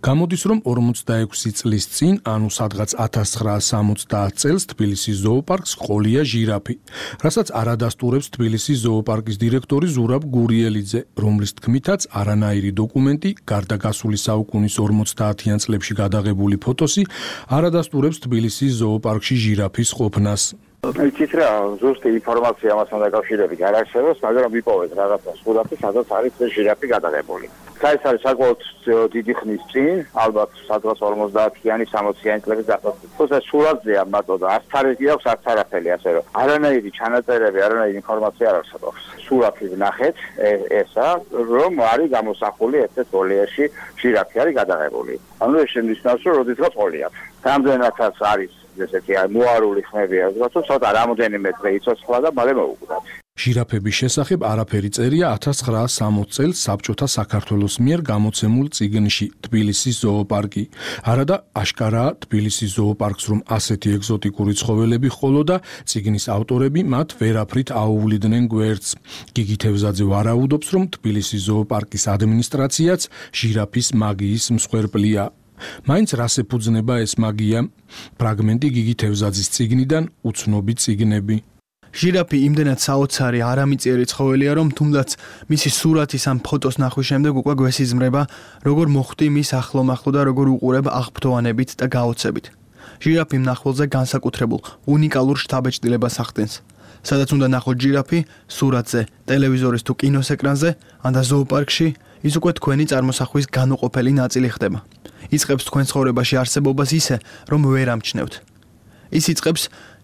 გამოდის, რომ 46 წლის წინ, ანუ სადღაც 1970 წელს თბილისის ზოოპარკს ყოლია ჟირაფი, რასაც არადასტურებს თბილისის ზოოპარკის დირექტორი ზურაბ გურიელიძე, რომლის თქმითაც არანაირი დოკუმენტი, გარდა გასული საუკუნის 50-იან წლებში გადაღებული ფოტოსი, არადასტურებს თბილისის ზოოპარკში ჟირაფის ყოფნას. იცით რა, ზუსტი ინფორმაცია ამასთან დაკავშირებით არ არსებობს, მაგრამ ვიპოვეთ რაღაცა სურათი, სადაც არის ეს ჟირაფი გადაღებული. ეს არის საკმაოდ დიდი ხნის წინ, ალბათ სადღაც 50-იანი, 60-იანი წლების დასაწყისში. თუმცა სურათზეა მარტო და არც თარიღი აქვს, არც არაფერი, ასე რომ არანაირი ჩანაწერები, არანაირი ინფორმაცია არ არსებობს. სურათი ვნახეთ, ესა, რომ არის გამოსახული ერთ-ერთ გოლიაში ჟირაფი არის გადაღებული. ანუ ეს შემიძლია რომ როდესაც ყოლიათ. რამდენადაც არის ესეთი მოარული ხმები, რაც ცოტა რამოდენიმე დღე იცოცხლა და მალე მოუკვდათ. ჟირაფების შესახებ არაფერი წერია 1960 წელს საბჭოთა საქართველოს მიერ გამოცემულ წიგნში თბილისის ზოოპარკი. არადა აშკარაა თბილისის ზოოპარკს რომ ასეთი ეგზოტიკური ცხოველები ჰყოლოდა, წიგნის ავტორები მათ ვერაფრით აუვლიდნენ გვერდს. გიგი თევზაძე ვარაუდობს, რომ თბილისის ზოოპარკის ადმინისტრაციაც ჟირაფის მაგიის მსხვერპლია. მაინც რას ეფუძნება ეს მაგია? ფრაგმენტი გიგი თევზაძის წიგნიდან უცნობი წიგნები. ჟირაფი იმდენად საოცარი არამიწიერი ცხოველია, რომ თუნდაც მისი სურათის ან ფოტოს ნახვის შემდეგ უკვე გვესიზმრება, როგორ მოხვდი მის ახლო-მახლო და როგორ უყურებ აღფრთოვანებით და გაოცებით. ჟირაფი მნახველზე განსაკუთრებულ, უნიკალურ შთაბეჭდილებას ახდენს. სადაც უნდა ნახოთ ჟირაფი, სურათზე, ტელევიზორის თუ კინოს ეკრანზე, ან და ზოოპარკში, ის უკვე თქვენი წარმოსახვის განუყოფელი ნაწილი ხდება. იწყებს თქვენ ცხოვრებაში არსებობას ისე, რომ ვერ ამჩნევთ. ის იწყებს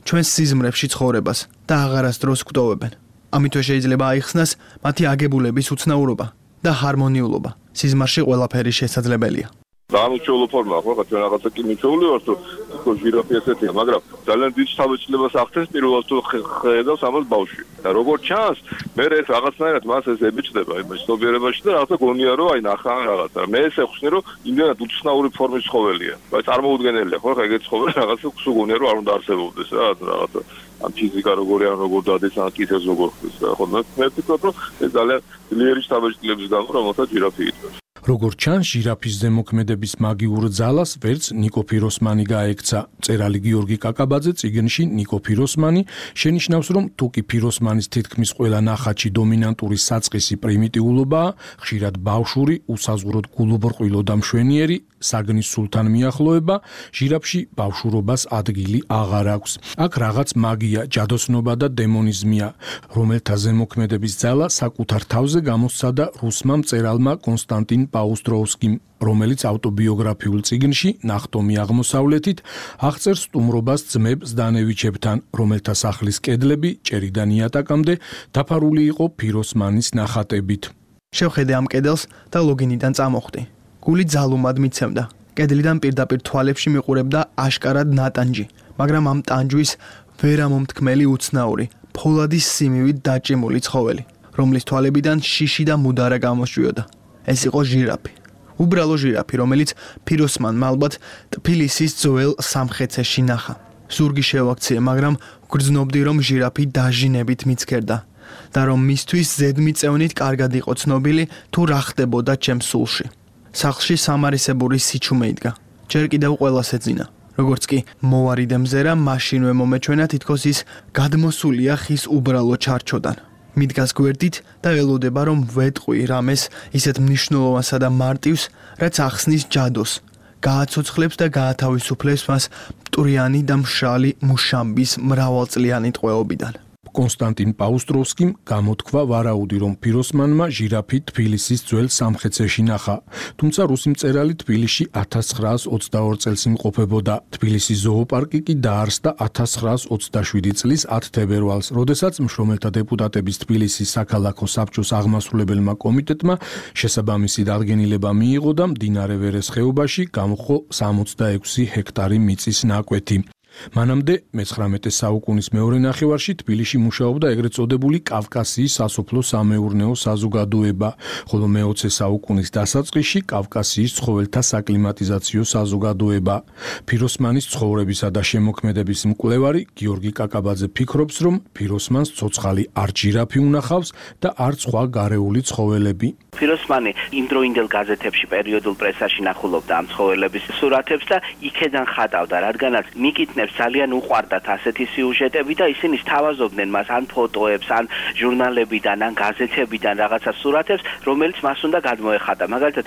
ჩვენს სიზმრებში ცხოვრებას და აღარასდროს გვტოვებენ. ამითვე შეიძლება აიხსნას მათი აგებულების უცნაურობა. და ჰარმონიულობა. სიზმარში ყველაფერი შესაძლებელია. დამუჩეულო ფორმა ხო ხა ჩვენ რაღაცა კი მიჩეული ვართ თუ ჟირაფი ესეთია, მაგრამ ძალიან დიდ თავეწლებას ახდენს პირველად თუ ხედავს ამას ბავშვი. და როგორც ჩანს, მე ეს რაღაცნაირად მას ეს ებიჭდება იმ სნობიერებაში და რაღაცა გონია რომ აი ნახა რაღაცა. მე ესე ხსნი რომ იმდენად უცნაური ფორმის ცხოველია. აი წარმოუდგენელია ხო ხა ეგეთ ცხოველი რაღაცა სულ გონია რომ არ უნდა არსებობდეს რა რაღაცა. ამ ფიზიკა როგორი ან როგორ დადეს ან კითხვას როგორ ხდის რა ხო მე ვფიქრობ რომ ეს ძალიან ძლიერი თავეწლების გამო რომელსაც ჟირაფი იტყვის. როგორც ჩანს, ჟირაფის ზემოქმედების მაგიურ ძალას ვერც ნიკო ფიროსმანი გაექცა. მწერალი გიორგი კაკაბაძე წიგნში ნიკო ფიროსმანი შენიშნავს, რომ თუკი ფიროსმანის თითქმის ყველა ნახატში დომინანტური საწყისი პრიმიტიულობაა, ხშირად ბავშვური, უსაზღვროდ გულუბრყვილო და მშვენიერი, საგნის სულთან მიახლოება, ჟირაფში ბავშვურობას ადგილი აღარ აქვს. აქ რაღაც მაგია, ჯადოსნობა და დემონიზმია, რომელთა ზემოქმედების ძალა საკუთარ თავზე გამოსცადა რუსმა მწერალმა კონსტანტინ პაუსტროვსკიმ, რომელიც ავტობიოგრაფიულ წიგნში ნახტომი აღმოსავლეთით აღწერს სტუმრობას ძმებ ზდანევიჩებთან, რომელთა სახლის კედლები ჭერიდან იატაკამდე დაფარული იყო ფიროსმანის ნახატებით. შევხედე ამ კედელს და ლოგინიდან წამოხვდი. გული ძალუმად მიცემდა. კედლიდან პირდაპირ თვალებში მიყურებდა აშკარად ნატანჯი, მაგრამ ამ ტანჯვის ვერამომთქმელი უცნაური, ფოლადის სიმივით დაჭიმული ცხოველი, რომლის თვალებიდან შიში და მუდარა გამოსჭვიოდა. ეს იყო ჟირაფი. უბრალო ჟირაფი, რომელიც ფიროსმანმა ალბათ თბილისის ძველ სამხეცეში ნახა. ზურგი შევაქციე, მაგრამ გრძნობდი, რომ ჟირაფი დაჟინებით მიცქერდა და რომ მისთვის ზედმიწევნით კარგად იყო ცნობილი თუ რა ხდებოდა ჩემს სულში. სახლში სამარისებური სიჩუმე იდგა. ჯერ კიდევ ყველას ეძინა. როგორც კი მოვარიდე მზერა, მაშინვე მომეჩვენა თითქოს ის გადმოსულია ხის უბრალო ჩარჩოდან. მიდგას გვერდით და ელოდება რომ ვეტყვი რამეს ისეთ მნიშვნელოვანსა და მარტივს, რაც ახსნის ჯადოს, გააცოცხლებს და გაათავისუფლებს მას მტვრიანი და მშრალი მუშამბის მრავალწლიანი ტყვეობიდან. კონსტანტინ პაუსტროვსკიმ გამოთქვა ვარაუდი, რომ ფიროსმანმა ჟირაფი თბილისის ძველ სამხეცეში ნახა. თუმცა რუსი მწერალი თბილისში 1922 წელს იმყოფებოდა. თბილისის ზოოპარკი კი დაარსდა 1927 წლის 10 თებერვალს, როდესაც მშრომელთა დეპუტატების თბილისის საქალაქო საბჭოს აღმასრულებელმა კომიტეტმა შესაბამისი დადგენილება მიიღო და მდინარე ვერეს ხეობაში გამოხო 66 ჰექტარი მიწის ნაკვეთი. მანამდე მე-19 საუკუნის მეორე ნახევარში თბილისში მუშაობდა ეგრეთ წოდებული კავკასიის სასოფლო-სამეურნეო საზოგადოება, ხოლო მე-20 საუკუნის დასაწყისში კავკასიის ცხოველთა საკლიმატიზაციო საზოგადოება. ფიროსმანის ცხოვრებისა და შემოქმედების მკვლევარი გიორგი კაკაბაძე ფიქრობს, რომ ფიროსმანს ცოცხალი არ ჟირაფი უნახავს და არ სხვა გარეული ცხოველები. ფიროსმანი იმდროინდელ გაზეთებში პერიოდულ პრესაში ნახულობდა ამ ცხოველების სურათებს და იქედან ხატავდა, რადგანაც მიკითხნებს ძალიან უყვარდათ ასეთი სიუჟეტები და ისინი სთავაზობდნენ მას ან ფოტოებს, ან ჟურნალებიდან, ან გაზეთებიდან რაღაცა სურათებს, რომელიც მას უნდა გადმოეხატა. მაგალითად,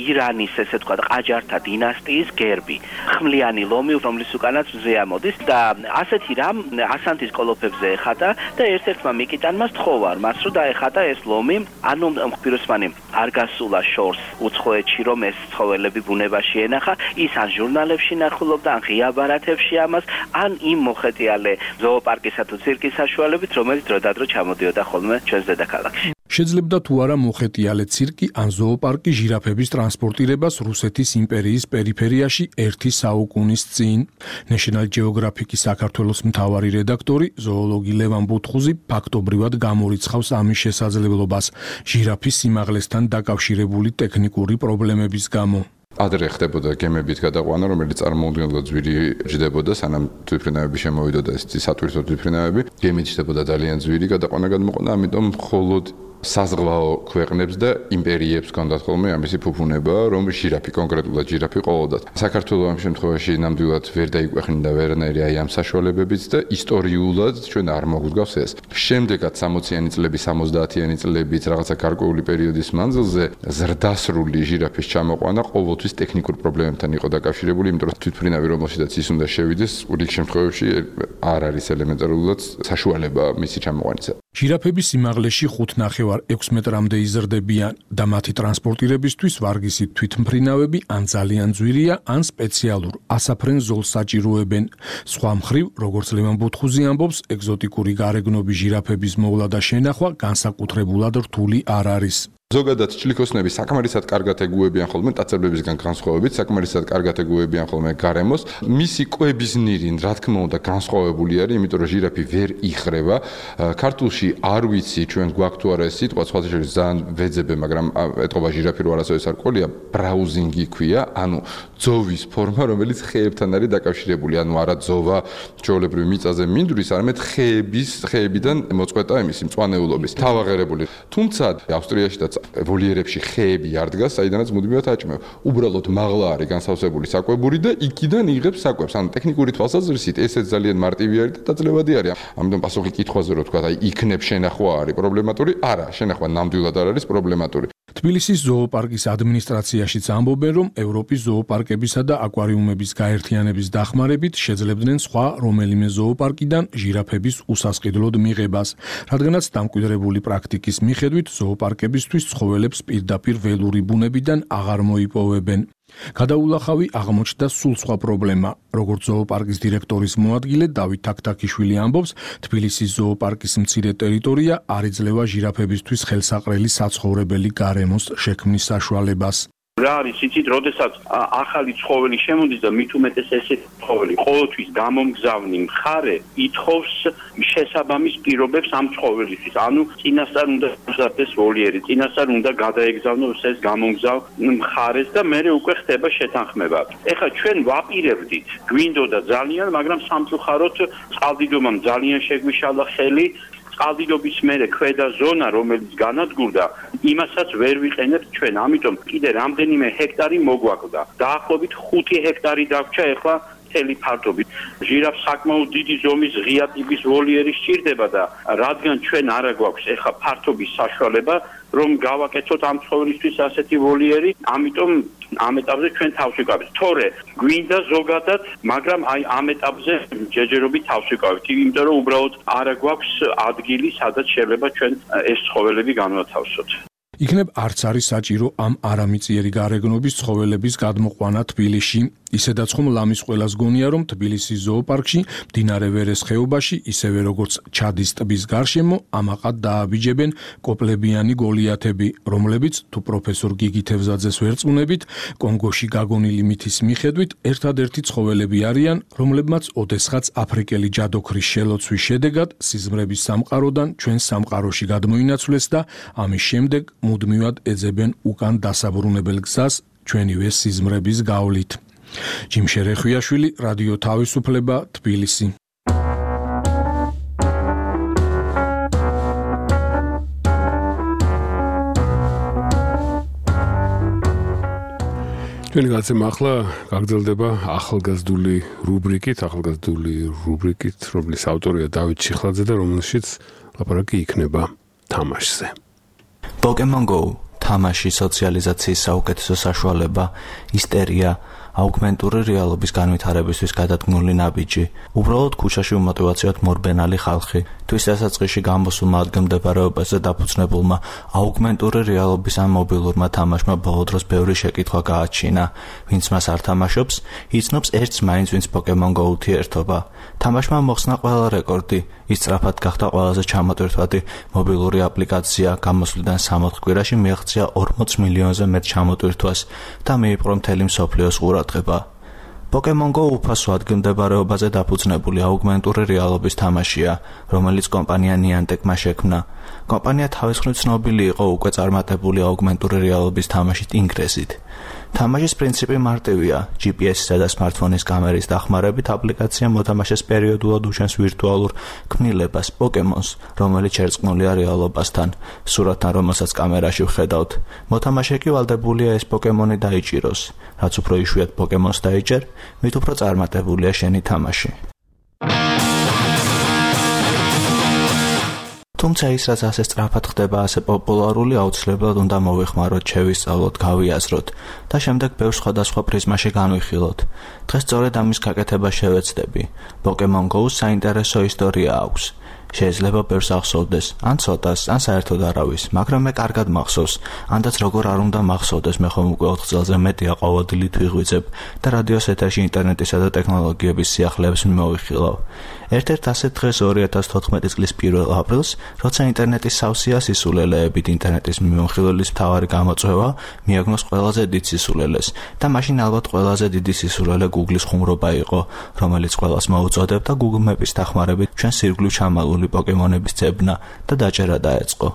ირანის, ესე თქვა, ყაჯართა დინასტიის გერბი, ხმლიანი ლომი, რომლის უკანაც მზე ამოდის და ასეთი რამ ასანთის კოლოფებზე ეხატა და ერთ-ერთმა მიკიტანმა სთხოვა მას, რომ დაეხატა ეს ლომი, ანუ ფიროსმანი არ გასულა შორს უცხოეთში, რომ ეს ცხოველები ბუნებაში ენახა, ის ან ჟურნალებში ნახულობდა, ან ღია ბარათებში ამას, ან იმ მოხეტიალე ზოოპარკისა თუ ცირკის საშუალებით, რომელიც დროდადრო ჩამოდიოდა ხოლმე ჩვენს დედაქალაქში. შეძლებდა თუ არა მოხეტიალე ცირკი ან ზოოპარკი ჟირაფების ტრანსპორტირებას რუსეთის იმპერიის პერიფერიაში 1 საუკუნის წინ. National Geographic-ის საქართველოს მთავარი რედაქტორი, ზოოლოგი ლევან ბუთხუზი ფაქტობრივად გამორიცხავს ამის შესაძლებლობას ჟირაფის სიმაღლესთან დაკავშირებული ტექნიკური პრობლემების გამო. ადრე ხდებოდა გემებით გადაყვანა, რომელიც წარმოუდგენლად ძვირი ჯდებოდა, სანამ თვითმფრინავები შემოვიდოდა ეს სატვირთო თვითმფრინავები. გემით ჯდებოდა ძალიან ძვირი გადაყვანა გადმოყვანა, ამიტომ მხოლოდ საზღვაო ქვეყნებს და იმპერიებს ჰქონდათ ხოლმე ამისი ფუფუნება, რომ ჟირაფი, კონკრეტულად ჟირაფი ყოლოდათ. საქართველოს ამ შემთხვევაში ნამდვილად ვერ დაიკვეხნიდა ვერანაირი აი ამ საშუალებებიც და ისტორიულად ჩვენ არ მოგვგავს ეს. შემდეგაც 60-იანი წლების, 70-იანი წლების რაღაცა გარკვეული პერიოდის მანძილზე ზრდასრული ჟირაფის ჩამოყვანა ყოველთვის ტექნიკურ პრობლემებთან იყო დაკავშირებული, იმიტომ რომ თვითმფრინავი რომელშიც ის უნდა შევიდეს, რიგ შემთხვევებში არ არის ელემენტარულად საშუალება მისი ჩამოყვანისა. ჟირაფების სიმაღლეში 5.5-6 მეტრამდე იზრდებიან და მათი ტრანსპორტირებისთვის ვარგისი თვითმფრინავები ან ძალიან ძვირია, ან სპეციალურ ასაფრენ ზოლს საჭიროებენ. სხვა მხრივ, როგორც ლევან ბუთხუზი ამბობს, ეგზოტიკური გარეგნობის ჟირაფების მოვლა და შენახვა განსაკუთრებულად რთული არ არის. ზოგადად ჭლიქოსნები საკმარისად კარგად ეგუებიან ხოლმე ტაცებლებისგან განსხვავებით, საკმარისად კარგად ეგუებიან ხოლმე გარემოს. მისი კვების ნირი, რა თქმა უნდა, განსხვავებული არის, იმიტომ რომ ჟირაფი ვერ იხრება. ქართულში არ ვიცი ჩვენ გვაქვს თუ არა ეს სიტყვა, სხვა შეიძლება ძალიან ვეძებე, მაგრამ ეთყობა ჟირაფი რო არასოდეს არ ყოლია, ბრაუზინგი ქვია, ანუ ძოვის ფორმა, რომელიც ხეებთან არის დაკავშირებული, ანუ არა ძოვა ჩვეულებრივ მიწაზე მინდვრის, არამედ ხეებიდან მოწყვეტა იმისი მწვანეულობის. თავაღერებული. თუმცა ავსტრიაშიც ვოლიერებში ხეები არ დგას, საიდანაც მუდმივად აჭმევ. უბრალოდ მაღლა არის განსავსებული საკვებური და იქიდან იღებს საკვებს. ანუ ტექნიკური თვალსაზრისით ესეც ძალიან მარტივი არის და დაძლებადი არის. ამიტომ პასუხი კითხვაზე რო თქვა, აი იქნებ შენახვა არის პრობლემატური? არა, შენახვა ნამდვილად არ არის პრობლემატური. თბილისის ზოოპარკის ადმინისტრაციაშიც ამბობენ, რომ ევროპის ზოოპარკებისა და აკვარიუმების გაერთიანების დახმარებით შეძლებდნენ სხვა რომელიმე ზოოპარკიდან ჟირაფების უსასყიდლოდ მიღებას, რადგანაც დამკვიდრებული პრაქტიკის მიხედვით ზოოპარკებისთვის ცხოველებს პირდაპირ ველური ბუნებიდან აღარ მოიპოვებენ. გადაულახავი აღმოჩნდა სულ სხვა პრობლემა. როგორც ზოოპარკის დირექტორის მოადგილე დავით თაქთაქიშვილი ამბობს, თბილისის ზოოპარკის მცირე ტერიტორია არ იძლევა ჟირაფებისთვის ხელსაყრელი საცხოვრებელი გარემოს შექმნის საშუალებას. რა არის იცით, როდესაც ახალი ცხოველი შემოდის და მით უმეტეს ესეთი ცხოველი ყოველთვის გამომგზავნი მხარე ითხოვს შესაბამის პირობებს ამ ცხოველისთვის. ანუ წინასწარ უნდა გზარდეს ვოლიერი, წინასწარ უნდა გადაეგზავნოს ეს გამომგზავნ მხარეს და მერე უკვე ხდება შეთანხმება. ეხლა ჩვენ ვაპირებდით, გვინდოდა ძალიან, მაგრამ სამწუხაროდ წყალდიდობამ ძალიან შეგვიშალა ხელი. წყალდიდობის მერე ქვედა ზონა, რომელიც განადგურდა, იმასაც ვერ ვიყენებთ ჩვენ. ამიტომ კიდე რამდენიმე ჰექტარი მოგვაკლდა. დაახლოებით 5 ჰექტარი დაგვრჩა ეხლა მთელი ფართობით. ჟირაფს საკმაოდ დიდი ზომის ღია ტიპის ვოლიერი სჭირდება და რადგან ჩვენ არა გვაქვს ეხლა ფართობის საშუალება, რომ გავაკეთოთ ამ ცხოველისთვის ასეთი ვოლიერი, ამიტომ ამ ეტაპზე ჩვენ თავს ვიკავებთ. თორე გვინდა ზოგადად, მაგრამ აი ამ ეტაპზე ჯერჯერობით თავს ვიკავებთ, იმიტომ რომ უბრალოდ არა გვაქვს ადგილი, სადაც შეიძლება ჩვენ ეს ცხოველები განვათავსოთ. იქნებ არც არის საჭირო ამ არამიწიერი გარეგნობის ცხოველების გადმოყვანა თბილისში. ისედაც ხომ ლამის ყველას გონია, რომ თბილისის ზოოპარკში, მდინარე ვერეს ხეობაში, ისევე როგორც ჩადის ტბის გარშემო, ამაყად დააბიჯებენ კოპლებიანი გოლიათები, რომლებიც თუ პროფესორ გიგი თევზაძეს ვერწმუნებით, კონგოში გაგონილი მითის მიხედვით, ერთადერთი ცხოველები არიან, რომლებმაც ოდესღაც აფრიკელი ჯადოქრის შელოცვის შედეგად სიზმრების სამყაროდან ჩვენ სამყაროში გადმოინაცვლეს და ამის შემდეგ მუდმივად ეძებენ უკან დასაბრუნებელ გზას ჩვენივე სიზმრების გავლით. ჯიმშერე ხვიაშვილი, რადიო თავისუფლება, თბილისი. ჩვენი გაცემა ახლა გაგრძელდება ახალგაზრდული რუბრიკით, რომლის ავტორია დავით ჩიხლაძე და რომელშიც ლაპარაკი იქნება თამაშზე. Pokemon Go თამაში სოციალიზაციის საუკეთესო საშუალება, ისტერია, აუგმენტური რეალობის განვითარებისთვის გადადგმული ნაბიჯი, უბრალოდ ქუჩაში უმოტივაციოდ მორბენალი ხალხი, თვის დასაწყისში გამოსულმა ადგილმდებარეობაზე დაფუძნებულმა აუგმენტური რეალობის ან მობილურმა თამაშმა ბოლო დროს ბევრი შეკითხვა გააჩინა. ვინც მას არ თამაშობს, იცნობს ერთს მაინც ვინც Pokemon Go ურთიერთობა. თამაშმა მოხსნა ყველა რეკორდი, ის სწრაფად გახდა ყველაზე ჩამოტვირთვადი მობილური აპლიკაცია, გამოსვლიდან 60 კვირაში მიაღწია 40 მილიონზე მეტ ჩამოტვირთვას და მიიპყრო მთელი მსოფლიოს ყურადღება. Pokemon Go უფასო ადგილმდებარეობაზე დაფუძნებული აუგმენტური რეალობის თამაშია, რომელიც კომპანია Niantic-მა შექმნა. კომპანია თავის მხრივ ცნობილი იყო უკვე წარმატებული აუგმენტური რეალობის თამაშით ინგრესით. თამაშის პრინციპი მარტივია. GPS-ისა და smartphone-ის კამერის დახმარებით აპლიკაცია მოთამაშეს პერიოდულად უჩენს ვირტუალურ ქმნილებას, Pokemon-ს, რომელიც შერწყმულია რეალობასთან, სურათთან, რომელსაც კამერაში ვხედავთ. მოთამაშე კი ვალდებულია ეს Pokemon-ი დაიჭიროს. რაც უფრო იშვიათ Pokemon-ს დაიჭერ, მით უფრო წარმატებულია შენი თამაში. თუმცა ის რაც ასე სწრაფად ხდება, ასე პოპულარული, აუცილებლად უნდა მოვიხმაროთ, შევისწავლოთ, გავიაზროთ და შემდეგ ბევრ სხვადასხვა პრიზმაში განვიხილოთ. დღეს სწორედ ამის გაკეთება შევეცდები. Pokemon Go-ს საინტერესო ისტორია აქვს. შეიძლება ბევრს ახსოვდეს, ან ცოტას, ან საერთოდ არავის, მაგრამ მე კარგად მახსოვს, ანდაც როგორ არ უნდა მახსოვდეს, მე ხომ უკვე 4 წელზე მეტია ყოველდღიურად ვიღვიძებ და რადიოს ეთერში ინტერნეტისა და ტექნოლოგიების სიახლეებს მოვიხილავ. ერთ-ერთ ასეთ დღეს 2014 წლის 1 აპრილს, როცა ინტერნეტის სავსეა სისულელეებით ინტერნეტის მიმოხილველის მთავარი გამოწვევა მიაგნოს ყველაზე დიდ სისულელეს და მაშინ ალბათ ყველაზე დიდი სისულელე Google-ის ხუმრობა იყო, რომელიც ყველას მოუწოდებდა Google Maps-ის დახმარებით ჩვენ სირგლივ ჩამალული პოკემონების ძებნა და დაჭერა დაეწყო.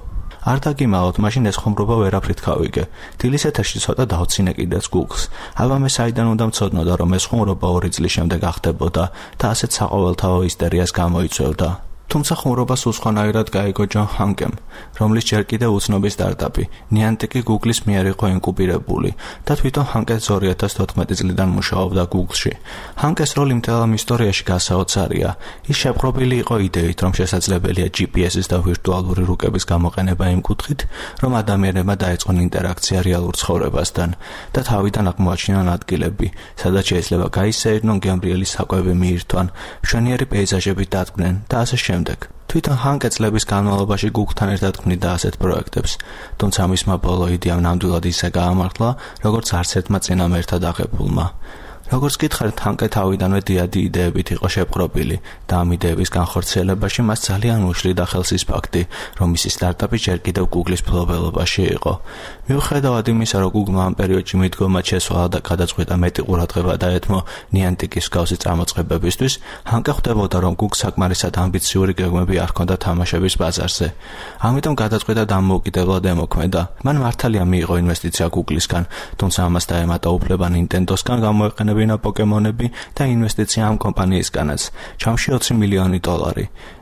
არ დაგიმალოთ, მაშინ ეს ხუმრობა ვერაფრით გავიგე. დილის ეთერში ცოტა დავცინე კიდეც Google-ს. აბა მე საიდან უნდა მცოდნოდა, რომ ეს ხუმრობა 2 წლის შემდეგ ახდებოდა და ასეთ საყოველთაო ისტორიას გამოიწვევდა. თუმცა ხუმრობა სულ სხვანაირად გაიგო ჯონ ჰანკემ, რომლის ჯერ კიდევ უცნობი სტარტაპი, Niantic Google-ის მიერ იყო ინკუბირებული და თვითონ ჰანკე 2014 წლიდან მუშაობდა Google-ში. ჰანკეს როლი მთელ ამ ისტორიაში გასაოცარია. ის შეპყრობილი იყო იდეით, რომ შესაძლებელია GPS-ის და ვირტუალური რუკების გამოყენება იმ კუთხით, რომ ადამიანებმა დაეწყონ ინტერაქცია რეალურ ცხოვრებასთან და თავიდან აღმოაჩინონ ადგილები, სადაც შეიძლება გაისეირნონ გემრიელი საკვები მიირთვან, მშვენიერი პეიზაჟები დადგნენ და ასე შემდეგ. თვითონ ჰანკე წლების განმავლობაში Google-თან ერთად ქმნიდა ასეთ პროექტებს, თუმცა მისმა ბოლო იდეამ ნამდვილად ისე გაამართლა, როგორც არც ერთმა წინამ ერთად აღებულმა. როგორც გითხარით, ჰანკე თავიდანვე დიადი იდეებით იყო შეპყრობილი და ამ იდეების განხორციელებაში მას ძალიან უშლიდა ხელს ის ფაქტი, რომ მისი სტარტაპი ჯერ კიდევ Google-ის მფლობელობაში იყო. მიუხედავად იმისა, რომ Google-მა ამ პერიოდში მიდგომად შესვალა და გადაწყვიტა მეტი ყურადღება დაეთმო Niantic-ის მსგავსი წარმოწყებებისთვის, ჰანკე ხვდებოდა, რომ Google საკმარისად ამბიციური გეგმები არ ჰქონდა თამაშების ბაზარზე. ამიტომ გადაწყვიტა დამოუკიდებლად ემოქმედა. მან მართალია მიიღო ინვესტიცია Google-ისგან, თუმცა ამას დაემატა უფლება Nintendo-სგან გამოეყენებინა პოკემონები და ინვესტიცია ამ კომპანიისგანაც, ჩამში $20 მილიონი.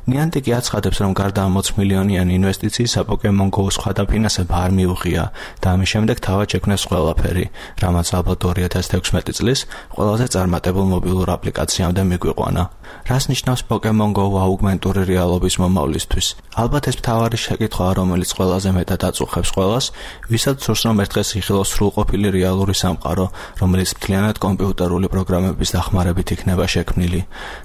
Niantic აცხადებს, რომ გარდა ამ 20 მილიონიანი ინვესტიციისა Pokemon Go სხვა დაფინანსება არ მიუღია და ამის შემდეგ თავად შექმნეს ყველაფერი, რამაც ალბათ 2016 წლის ყველაზე წარმატებულ მობილურ აპლიკაციამდე მიგვიყვანა. რას ნიშნავს Pokemon Go აუგმენტური რეალობის მომავლისთვის? ალბათ ეს მთავარი შეკითხვაა, რომელიც ყველაზე მეტად აწუხებს ყველას, ვისაც სურს რომ ერთ დღეს იხილოს სრულყოფილი რეალური სამყარო, რომელიც მთლიანად კომპიუტერული პროგრამების დახმარებით იქნება შექმნილი.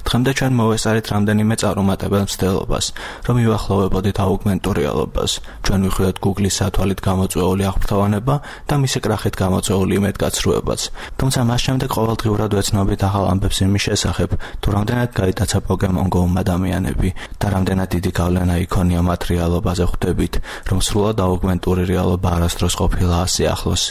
დღემდე ჩვენ მოვესწარით რამდენიმე წარუმატებელ მცდელობას, რომ მივახლოვებოდით აუგმენტურ რეალობას. ჩვენ ვიხილეთ Google-ის სათვალით გამოწვეული აღფრთოვანება და მისი კრახით გამოწვეული იმედგაცრუებაც. თუმცა მას შემდეგ ყოველდღიურად ვეცნობით ახალ ამბებს იმის შესახებ, თუ რამდენად გაიტაცა Pokemon Go-მ ადამიანები და რამდენად დიდი გავლენა იქონია მათ რეალობაზე ხვდებით, რომ სრულად აუგმენტური რეალობა არასდროს ყოფილა ასე ახლოს.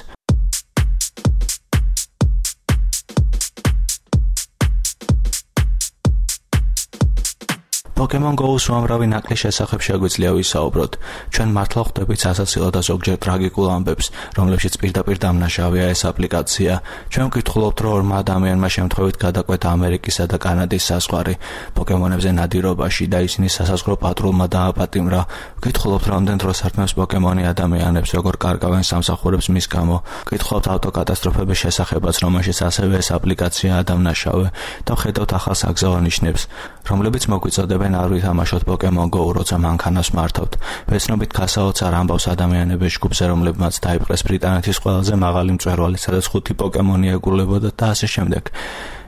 Pokemon Go-ს უამრავი ნაკლი შესახებ შეგვიძლია ვისაუბროთ. ჩვენ მართლა ხვდებით სასაცილო და ზოგჯერ ტრაგიკულ ამბებს, რომლებშიც პირდაპირ დამნაშავეა ეს აპლიკაცია. ჩვენ ვკითხულობთ, რომ ორმა ადამიანმა შემთხვევით გადაკვეთა ამერიკისა და კანადის საზღვარი პოკემონებზე ნადირობაში და ისინი სასაზღვრო პატრულმა დააპატიმრა. ვკითხულობთ, რამდენ დროს ართმევს პოკემონი ადამიანებს, როგორ კარგავენ სამსახურებს მის გამო. ვკითხულობთ ავტოკატასტროფების შესახებაც, რომელშიც ასევე ეს აპლიკაციაა დამნაშავე და ვხედავთ ახალ საგზაო ნიშნებს, რომლებიც მოგვიწოდებენ არ ვითამაშოთ Pokemon Go, როცა მანქანას მართავთ. ვეცნობით გასაოცარ ამბავს ადამიანების ჯგუფზე, რომლებმაც დაიპყრეს ბრიტანეთის ყველაზე მაღალი მწვერვალი, სადაც 5 პოკემონი ეგულებოდა და ასე შემდეგ.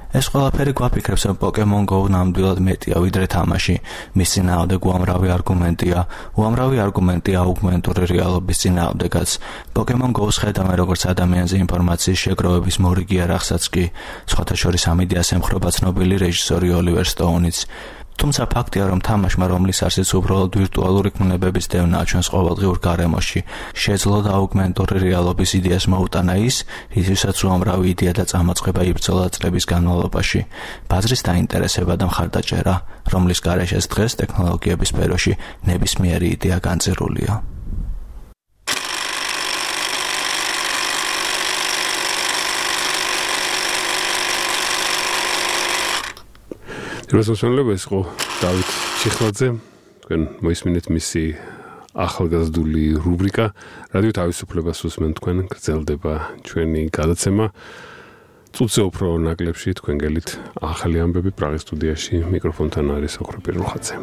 ეს ყველაფერი გვაფიქრებს, რომ Pokemon Go ნამდვილად მეტია ვიდრე თამაში. მის წინააღმდეგ უამრავი არგუმენტია აუგმენტური რეალობის წინააღმდეგაც. Pokemon Go-ს ხედავენ როგორც ადამიანზე ინფორმაციის შეგროვების მორიგი არახსაც კი. სხვათა შორის ამ იდეას ემხრობა ცნობილი რეჟისორი ოლივერ სტოუნიც. თუმცა ფაქტია, რომ თამაშმა, რომლის არსიც უბრალოდ ვირტუალური ქმნებების დევნაა ჩვენს ყოველდღიურ გარემოში, შეძლო და აუგმენტური რეალობის იდეას მოუტანა ის, რისთვისაც უამრავი იდეა და წამოწყება იბრძოლა წლების განმავლობაში. ბაზრის დაინტერესება და მხარდაჭერა, რომლის გარეშეც დღეს ტექნოლოგიების სფეროში ნებისმიერი იდეა განწირულია. რასოსონლებს იყო დავით ჩიხლაძე, თქვენ მოისმინეთ მისი ახალგაზრდული რუბრიკა რადიო თავისუფლებას უსმენ თქვენ გრძელდება ჩვენი გადაცემა წუთზე უფრო ნაკლებში თქვენ გელით ახალი ამბები პრაღის სტუდიაში მიკროფონთან არის ოქროპირ რუხაძე.